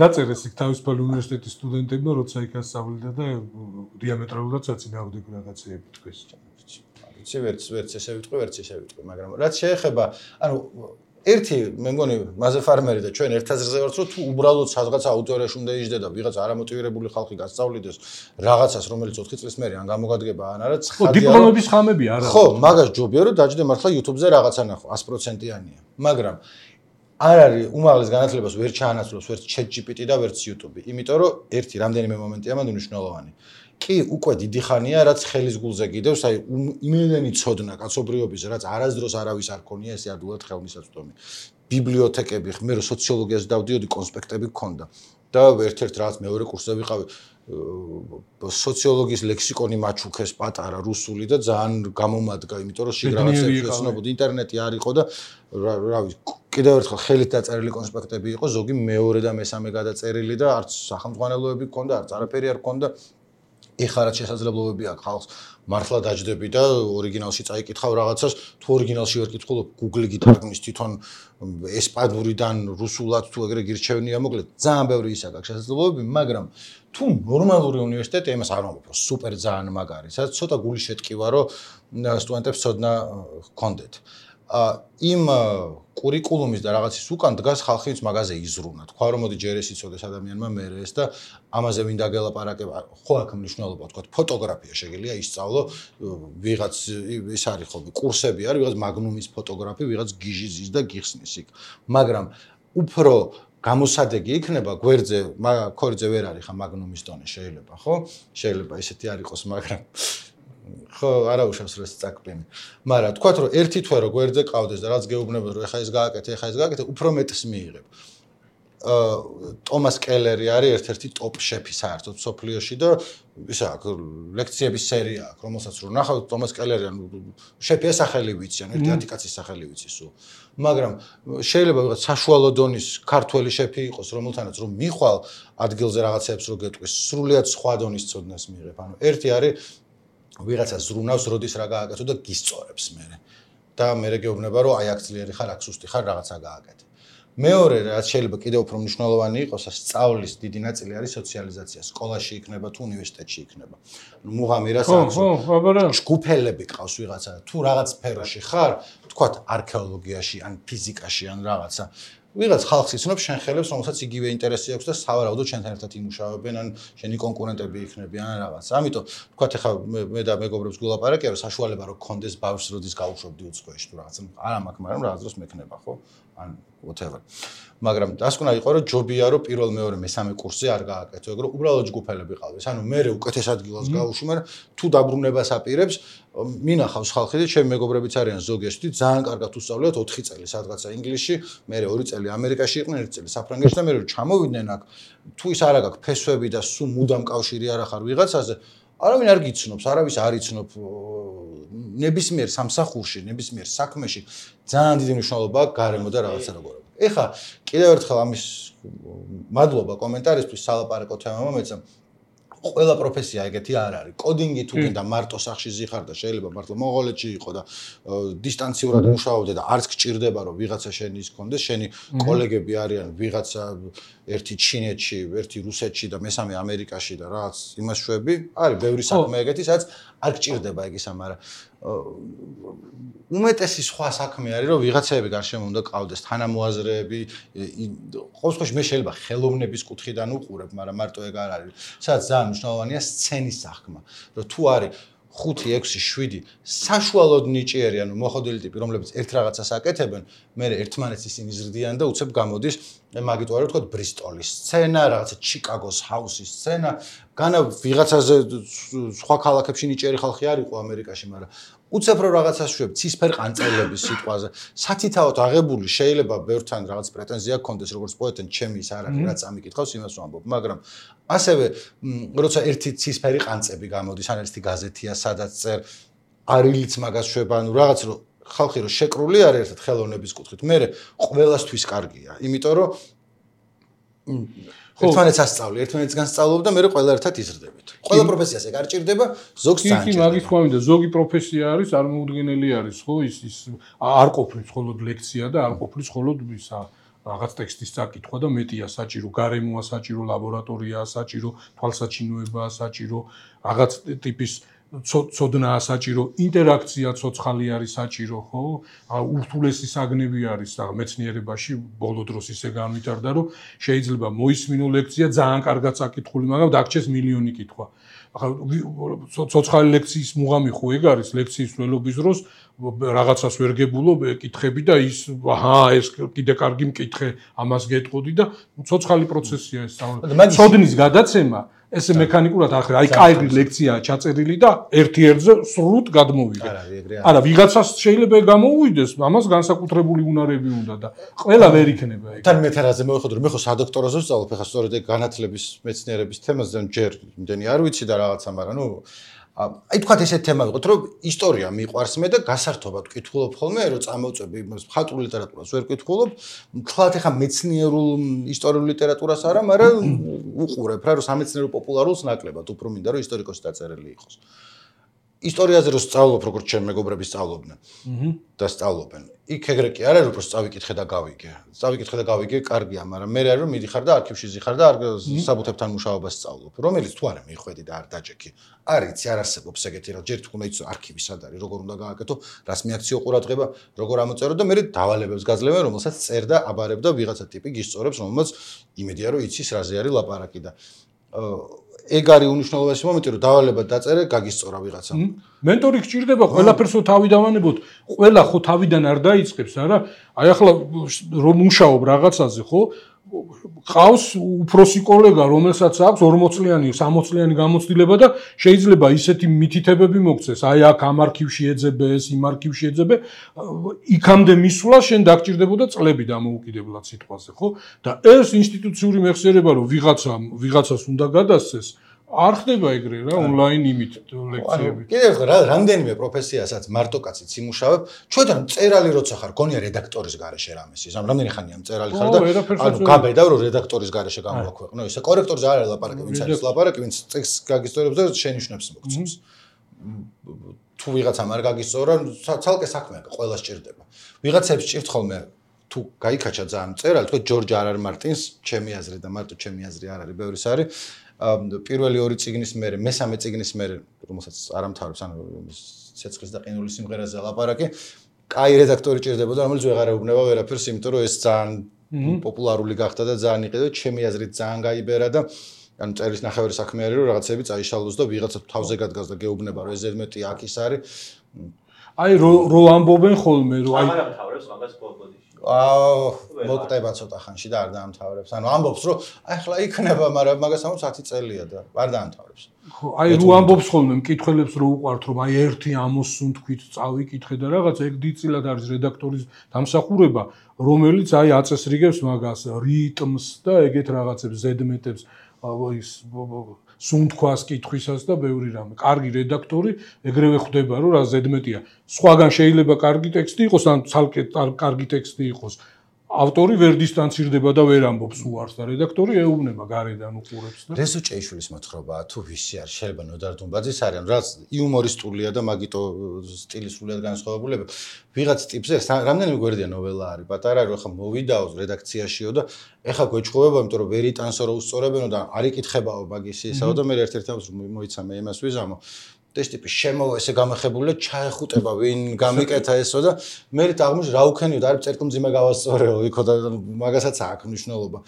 დაწერეს იქ თავისუფალი უნივერსიტეტის სტუდენტებმა როცა იქ ასწავლიდა და დიამეტრალურად საწინააღმდეგო რაღაცეები თქვეს ვიცი ვერც ვერც ესე ვიტყვი ვერც ესე ვიტყვი მაგრამ რაც შეეხება ანუ ერთი მე მგონი მაზე ფარმერი და ჩვენ ერთ აზრზე ვართ რომ თუ უბრალოდ სადღაც აუდიტორიაში უნდა იჯდე და ვიღაც არამოტივირებული ხალხი გასწავლიდეს რაღაცას რომელიც ოთხი წლის მერე ან გამოგადგება ან არა ცხადია დიპლომების ხამები არა ხო მაგას ჯობია რომ დაჯდე მართლა YouTube-ზე რაღაცა ნახო one hundred percent-იანია მაგრამ არ არის უმაღლეს განათლებას ვერ ჩაანაცვლოს ვერც chat G P T და ვერც YouTube-ი იმიტომ რომ ერთი რამდენიმე მომენტია მანდ მნიშვნელოვანი კი უკვე დიდი ხანია რაც ხელის გულზე გიდევს აი იმედენი ცოდნა კაცობრიობის რაც არასდროს არავის არ ქონია ესე ადულად ხელმისაწვდომი ბიბლიოთეკები მე რო სოციოლოგიაზე დავდიოდი კონსპექტები გქონდა და ერთ-ერთ რაც მეორე კურსზე ვიყავი სოციოლოგიის ლექსიკონი მაჩუქეს პატარა რუსული და ძალიან გამომადგა იმიტომ რომ შიგ რაღაცებს ეცნობოდი ინტერნეტი არ იყო და რა ვიცი კიდევ ერთხელ ხელით დაწერილი კონსპექტები იყო ზოგი მეორე და მესამე გადაწერილი და არც სახელმძღვანელოები გქონდა არც არაფერი არ გქონდა ეხლა რაც შესაძლებლობები აქვს ხალხს მართლა დაჯდები და ორიგინალში წაიკითხავ რაღაცას თუ ორიგინალში ვერ კითხულობ Google-ი გითარგმნის თვითონ ესპანურიდან რუსულად თუ ეგრე გირჩევნია მოკლედ ძალიან ბევრი ისა გაქვს შესაძლებლობები მაგრამ თუ ნორმალური უნივერსიტეტი იმას არ ვამბობ რომ სუპერ ძალიან მაგარი სადაც ცოტა გული შეტკივა რომ სტუდენტებს ცოდნა ჰქონდეთ იმ კურიკულუმის და რაღაცის უკან დგას ხალხის მაგაზე იზრუნა. თქვა რომ მოდი ჯერ ეს იცოდეს ადამიანმა მე ეს და ამაზე ვინ დაგელაპარაკება. ხო აქ მნიშვნელობა თქვა ფოტოგრაფია შეგიძლია ისწავლო ვიღაც ის არის ხოლმე კურსები არის ვიღაც მაგნუმის ფოტოგრაფი, ვიღაც გიჟი ზის და გიხსნის იქ. მაგრამ უფრო გამოსადეგი იქნება გვერდზე ქორიძე ვერ არის ხა მაგნუმის დონე შეიძლება, ხო? შეიძლება ესეთი არ იყოს, მაგრამ ხო, არა უშავს რომ წაკბენი. მაგრამ თქვათ რომ ერთი თვე რო გვერდზე ყავდეს და რაც გეუბნებოდ რომ ეხა ეს გააკეთე, ეხა ეს გააკეთე, უფრო მეტს მიიღებ. აა ტომას კელერი არის ერთ-ერთი ტოპ შეფი საერთოდ სოფლიოში და ისა აქ ლექციების სერია აქვს, რომელსაც რო ნახავთ ტომას კელერი ანუ შეფია სახელი ვიცი, ანუ ერთი ათი სახელი ვიცი სულ. მაგრამ შეიძლება ვიღაც საშუალო დონის ქართველი შეფი იყოს, რომელთანაც რომ მიხვალ ადგილზე რაღაცებს რო გეტყვის, სრულიად სხვა დონის ცოდნას მიიღებ. ანუ ერთი არის ვიღაცა ზრუნავს, როდის რა გააკეთო და გისწორებს მერე. და მერე გეუბნება, რომ აი აქ ძლიერი ხარ, აქ სუსტი ხარ, რაღაცა გააკეთე. მეორე, რაც შეიძლება კიდევ უფრო მნიშვნელოვანი იყოს, სწავლის დიდი ნაწილი არის სოციალიზაცია. სკოლაში იქნება თუ უნივერსიტეტში იქნება. ნუ მუღამირას აქვს. ხო, ხო, აბარა. ჯგუფელები ყავს ვიღაცა, თუ რაღაც სფეროში ხარ, თქვათ არქეოლოგიაში, ან ფიზიკაში, ან რაღაცა. ვიღაც ხალხს იცნობს შენ ხელებს, რომელსაც იგივე ინტერესი აქვს და სავარაუდოდ შენთან ერთად იმუშავებენ, ან შენი კონკურენტები იქნებიან ან რაღაც. ამიტომ თქვათ ახლა მე და მეგობრებს გულაპარაკია, რომ საშუალება რო გქონდეს ბავშვს როდის გაუშვებდი უცხოეთში თუ რაღაცა. არა მაქვს, მაგრამ რაღაც დროს მექნება, ხო? ან whatever. მაგრამ დასკვნა იყო, რომ ჯობია, რომ პირველ, მეორე, მესამე კურსზე არ გააკეთო, ეგ რომ უბრალოდ ჯგუფელები ყავდეს. ანუ მე უკეთეს ადგილას გავუშვი, მაგრამ თუ დაბრუნებას აპირებს, მინახავს ხალხი და ჩემი მეგობრებიც არიან ზოგიერთი, ძალიან კარგად უსწავლეთ ოთხი წელი სადღაცა ინგლისში, მე ორი წელი ამერიკაში იყვნენ, ერთი წელი საფრანგეთში და მე რომ ჩამოვიდნენ აქ, თუ ის არ აქვს ფესვები და სულ მუდამ კავშირი არ ახარ ვიღაცაზე, არავინ არ გიცნობს, არავის არ იცნობ ნებისმიერ სამსახურში, ნებისმიერ საქმეში ძალიან დიდი მნიშვნელობა აქვს გარემო და რაღაცა როგორია. ეხლა კიდევ ერთხელ ამის მადლობა კომენტარისთვის სალაპარაკო თემამ მეცა ყველა პროფესია ეგეთი არ არის. კოდინგი თუ გინდა მარტო სახში ზიხარ და შეიძლება მართლა მონღოლეთში იყო და დისტანციურად მუშაობდე და არც გჭირდება რომ ვიღაცა შენი ის კონდეს, შენი კოლეგები არიან ვიღაცა ერთი ჩინეთში, ერთი რუსეთში და მესამე ამერიკაში და რაღაც იმას შვები. არის ბევრი საქმე ეგეთი, სადაც არ გჭირდება ეგ ისა, მაგრამ უმეტესი სხვა საქმე არის რომ ვიღაცები გარშემო უნდა ყავდეს თანამოაზრეები. ყოველ შემთხვევაში მე შეიძლება ხელოვნების კუთხიდან უყურებ, მაგრამ მარტო ეგ არ არის. სადაც ძალიან მნიშვნელოვანია სცენის საქმე. რომ თუ არის ხუთი, ექვსი, შვიდი საშუალოდ ნიჭიერი, ანუ მოხდილი ტიპი, რომლებიც ერთ რაღაცას აკეთებენ, მე ერთმანეთს ისინი ზრდიან და უცებ გამოდის, მაგით ვარ ვთქვათ ბრისტოლის სცენა, რაღაცა ჩიკაგოს ჰაუსის სცენა, განა ვიღაცაზე სხვა ქალაქებში ნიჭიერი ხალხი არ იყო ამერიკაში, მაგრამ უცებ რო რაღაცას შვებ ცისფერ ყანწელების სიტყვაზე, სათითაოდ აღებული შეიძლება ბევრთან რაღაც პრეტენზია გქონდეს როგორც პოეტენ, ჩემი ის არ არის, რაც ამიკითხავს იმას ვამბობ, მაგრამ ასევე როცა ერთი ცისფერი ყანწები გამოდის, ან ერთი გაზეთია, სადაც წერ არილიც მაგას შვება, ანუ რაღაც რო ხალხი რო შეკრული არის ერთად ხელოვნების კუთხით, მე ყველასთვის კარგია, იმიტომ რომ ერთმანეთს ასწავლი, ერთმანეთს განსწავლობ და მე ყველა ერთად იზრდებით. ყველა პროფესიას ეგ არ ჭირდება, ზოგს ძალიან ჭირდება. კი, მაგის თქვა მინდა, ზოგი პროფესია არის, წარმოუდგენელი არის, ხო, ის ის არ ყოფნის მხოლოდ ლექცია და არ ყოფნის მხოლოდ ისა რაღაც ტექსტის წაკითხვა და მეტია საჭირო, გარემოა საჭირო, ლაბორატორიაა საჭირო, თვალსაჩინოებაა საჭირო, რაღაც ტიპის ცოდნაა საჭირო, ინტერაქცია ცოცხალი არის საჭირო, ხო? ურთულესი საგნები არის და მეცნიერებაში ბოლო დროს ისე განვითარდა, რომ შეიძლება მოისმინო ლექცია ძალიან კარგად საკითხული, მაგრამ დაგჭეს მილიონი კითხვა. ახლა ცოცხალი ლექციის მუღამი ხო ეგ არის, ლექციის ველობის დროს რაღაცას ვერ გებულობ, კითხები და ის აჰა, ეს კიდე კარგი მკითხე, ამას გეტყოდი და ცოცხალი პროცესია ეს. ცოდნის გადაცემა ესე მექანიკურად ახლა აი კაი ლექციაა ჩაწერილი და ერთი ერთზე სრულად გადმოვიდა. არა, ვიღაცას შეიძლება გამოუვიდეს, ამას განსაკუთრებული უნარები უნდა და ყველა ვერ იქნება ეგ. თან მეთერაზე მოვიხოთ, მე ხო სადოქტოროზე ვსწავლობ, ახლა სწორედ ეგ განათლების მეცნიერების თემაზე ჯერ იმდენი არ ვიცი და რაღაცა, მაგრამ ნუ აი თქვათ ესეთ თემა ვიყოთ, რომ ისტორია მიყვარს მე და გასართობად ვკითხულობ ხოლმე, რომ წამოვწები იმას მხატვრულ ლიტერატურას ვერ ვკითხულობ, თქვათ ახლა მეცნიერულ ისტორიულ ლიტერატურას არა, მაგრამ უყურებ რა, რომ სამეცნიერო პოპულარულს ნაკლებად, უფრო მინდა რომ ისტორიკოსი დაწერილი იყოს. ისტორიაზე რო სწავლობ, როგორც ჩემი მეგობრები სწავლობდნენ და სწავლობენ. იქ ეგრე კი არა, რომ უფრო სწავიკითხე და გავიგე. სწავიკითხე და გავიგე, კარგია, მაგრამ მე რა რომ მიდიხარ და არქივში ზიხარ და საბუთებთან მუშაობას სწავლობ. რომელიც თუ არა მიხვედი და არ დაჯექი. არიცი, არ არსებობს ეგეთი რა. ჯერ თქმა იცო არქივი სად არის, როგორ უნდა გააკეთო, რას მიაქციო ყურადღება, როგორ ამოწერო და მე დავალებებს გაძლევენ, რომელსაც წერდა, აბარებდა ვიღაცა ტიპი გისწორებს, რომელსაც იმედია რომ იცის რაზე არის ლაპარაკი და ეგ არის უნიშნულოვანესი მომენტი, რომ დავალება დაწერე, გაგისწორა ვიღაცა. მენტორი გჭირდება, ყველაფერს რო თავი დავანებოთ, ყველა ხო თავიდან არ დაიწყებს, არა? აი ახლა რომ მუშაობ რაღაცაზე, ხო? ყავს უფროსი კოლეგა, რომელსაც აქვს ორმოც წლიანი, სამოც წლიანი გამოცდილება და შეიძლება ისეთი მითითებები მოგცეს, აი აქ ამ არქივში ეძებე, ეს იმ არქივში ეძებე, იქამდე მისვლა შენ დაგჭირდებოდა წლები დამოუკიდებლად სიტყვაზე, ხო? და ეს ინსტიტუციური მეხსიერება, რომ ვიღაცა ვიღაცას უნდა გადასცეს, არ ხდება ეგრე რა, ონლაინ იმით ლექციები. კიდევ რა, რამდენიმე პროფესიასაც მარტო კაციც იმუშავებ, ჩვენთან წერალი როცა ხარ, გონია რედაქტორის garaშე რამეს ის, ამ რამდენი ხანია წერალი ხარ და ანუ გაბედავ რომ რედაქტორის garaშე გამოვაქვეყნო, ისე კორექტორზე არ არის ლაპარაკი, ვინც არის ლაპარაკი, ვინც ტექსტს გაგისწორებს და შენიშვნებს მოგცემს. თუ ვიღაცამ არ გაგისწორა, ცალკე საქმეა, ყველა სჭირდება. ვიღაცებს სჭირთ ხოლმე თუ გაიქაჩა ძალიან წერალი, თქვა ჯორჯ არ არ მარტინს, ჩემი აზრი და მარტო ჩემი აზრი არ არის, ბევრი არის. პირველი ორი წიგნის მერე, მესამე წიგნის მერე, რომელსაც არ ამთავრებს, ანუ ცეცხლის და ყინულის სიმღერაზე ლაპარაკი, კაი რედაქტორი ჭირდებოდა, რომელიც ვეღარ ეუბნება ვერაფერს, იმიტომ რომ ეს ძალიან პოპულარული გახდა და ძალიან იყიდა, ჩემი აზრით ძალიან გაიბერა და ანუ წერის ნახევარი საქმე არის, რომ რაღაცები წაიშალოს და ვიღაცა თავზე გადგას და გეუბნება, რომ ეს ზედმეტი აქ ის არის. აი რო ამბობენ ხოლმე, რომ აი არ ამთავრებს მაგას ბოდიში. აა მოკვდება ცოტა ხანში და არ დაამთავრებს. ანუ ამბობს, რომ აი ხლა იქნება, მაგრამ მაგას ამბობს ათი წელია და არ დაამთავრებს. ხო, აი რო ამბობს ხოლმე მკითხველებს რო უყვართ, რომ აი ერთი ამოსუნ თქვით, წავიკითხე და რაღაც ეგ დიდწილად არის რედაქტორის დამსახურება, რომელიც აი აწესრიგებს მაგას რიტმს და ეგეთ რაღაცებს ზედმეტებს ის სუნთქვას კითხვისას და ბევრი რამე. კარგი რედაქტორი ეგრევე ხვდება, რომ რა ზედმეტია. სხვაგან შეიძლება კარგი ტექსტი იყოს, ან ცალკე კარგი ტექსტი იყოს. ავტორი ვერ დისტანცირდება და ვერ ამბობს უარს და რედაქტორი ეუბნება გარედან უყურებს და რეზო ჭეიშვილის მოთხრობაა თუ ვისი არის შეიძლება ნოდარ დუმბაძის არის რაც იუმორისტულია და მაგიტო სტილი სრულიად განსხვავებულება ვიღაც ტიპზე რამდენიმე გვერდია ნოველა არის პატარა რომ ხა მოვიდაო რედაქციაშიო და ეხა გვეჭხოვება იმიტომ რომ ვერ იტანსო რომ უსწორებენო და არ იკითხებაო მაგის ისაო და მე ერთ-ერთი ამას მოიცა მე იმას ვიზამო ეს ტიპი შემოვა ესე გამახებული ჩაეხუტება ვინ გამიკეთა ესო და მე აღმოჩნდა რა უქენიო და არის წერტილმძიმე გავასწორეო იქო და მაგასაც აქვს მნიშვნელობა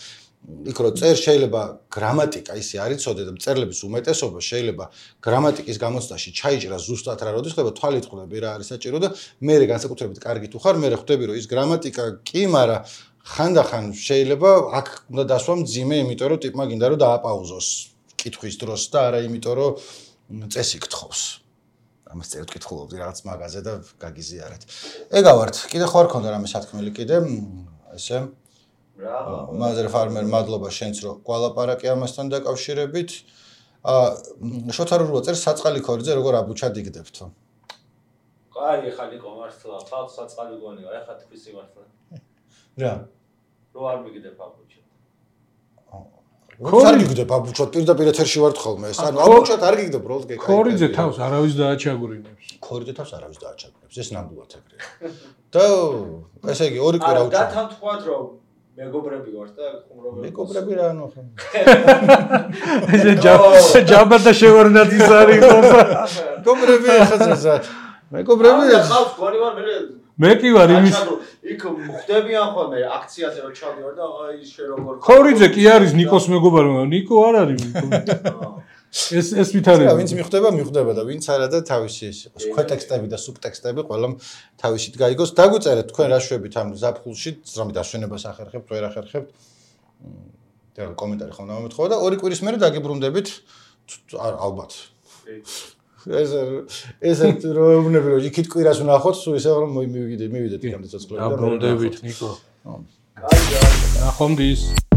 იქ რო წერ შეიძლება გრამატიკა ისე არ იცოდე და მწერლების უმეტესობა შეიძლება გრამატიკის გამოცდაში ჩაიჭრა ზუსტად რა როდის ხდება თვალით ხვდები რა არის საჭირო და მე განსაკუთრებით კარგი თუ ხარ მე ხვდები რომ ის გრამატიკა კი მაგრამ ხანდახან შეიძლება აქ უნდა დასვა მძიმე იმიტომ რომ ტიპმა გინდა რომ დააპაუზოს კითხვის დროს და არა იმიტომ რომ წესი გთხოვს. ამას წერტ კითხულობდი რაღაც მაგაზე და გაგიზიარეთ. ეგავართ, კიდე ხო არ ქონდა რამე სათქმელი კიდე, ესე. ბრავო. მაზერ ფარმერ, მადლობა შენც რომ გვალაპარაკე ამასთან დაკავშირებით. აა შოთარულო წერს საწყალი ქორიძე როგორ აბუჩად იგდებთო. კაი, ხალი კომართლა, ხალხ საწყალი გონია, ეხა თქვის იმართლა. რა? რო არ მიგდებ აბუჩად. არ გიგდებ აბუჩად პირდაპირ ეთერში ვართ ხოლმე ეს ანუ აბუჩად არ გიგდებ როლს გეკაი ქორიძე თავს არავის დააჩაგვრინებს ქორიძე თავს არავის დააჩაგვრინებს ეს ნამდვილად ეგრეა და ესე იგი ორი კვირა უჩა და თან თქვათ რომ მეგობრები ვართ და ხუმრობები მეგობრები რა ანუ ხო ეს ჯაბა და შევარდნაძის არის ხომ მეგობრები ხაზა მეგობრები ხავს გონი ვარ მე მე კი ვარ იმის იქ ხვდებიან ხოლმე აქციაზე რომ ჩავდივარ და აი შე როგორ ქორიძე კი არის ნიკოს მეგობარი ნიკო არ არის ეს ეს ვითარება ვინც მიხვდება მიხვდება და ვინც არა და თავისი ის იყოს ქვეტექსტები და სუბტექსტები ყველამ თავისით გაიგოს დაგვიწერეთ თქვენ რა შვებით ამ ზაფხულში ზრამით ასვენებას ახერხებთ ვერ ახერხებთ და კომენტარი ხომ მომეთხოვა და ორი კვირის მერე დაგიბრუნდებით ალბათ ეს ეს როებნები რომ იქით კვირას ვნახოთ სულ ისე რომ მივიდეთ მივიდეთ იქამდე ცოცხლები და დაბრუნდებით ნიკო კაია ნახომდის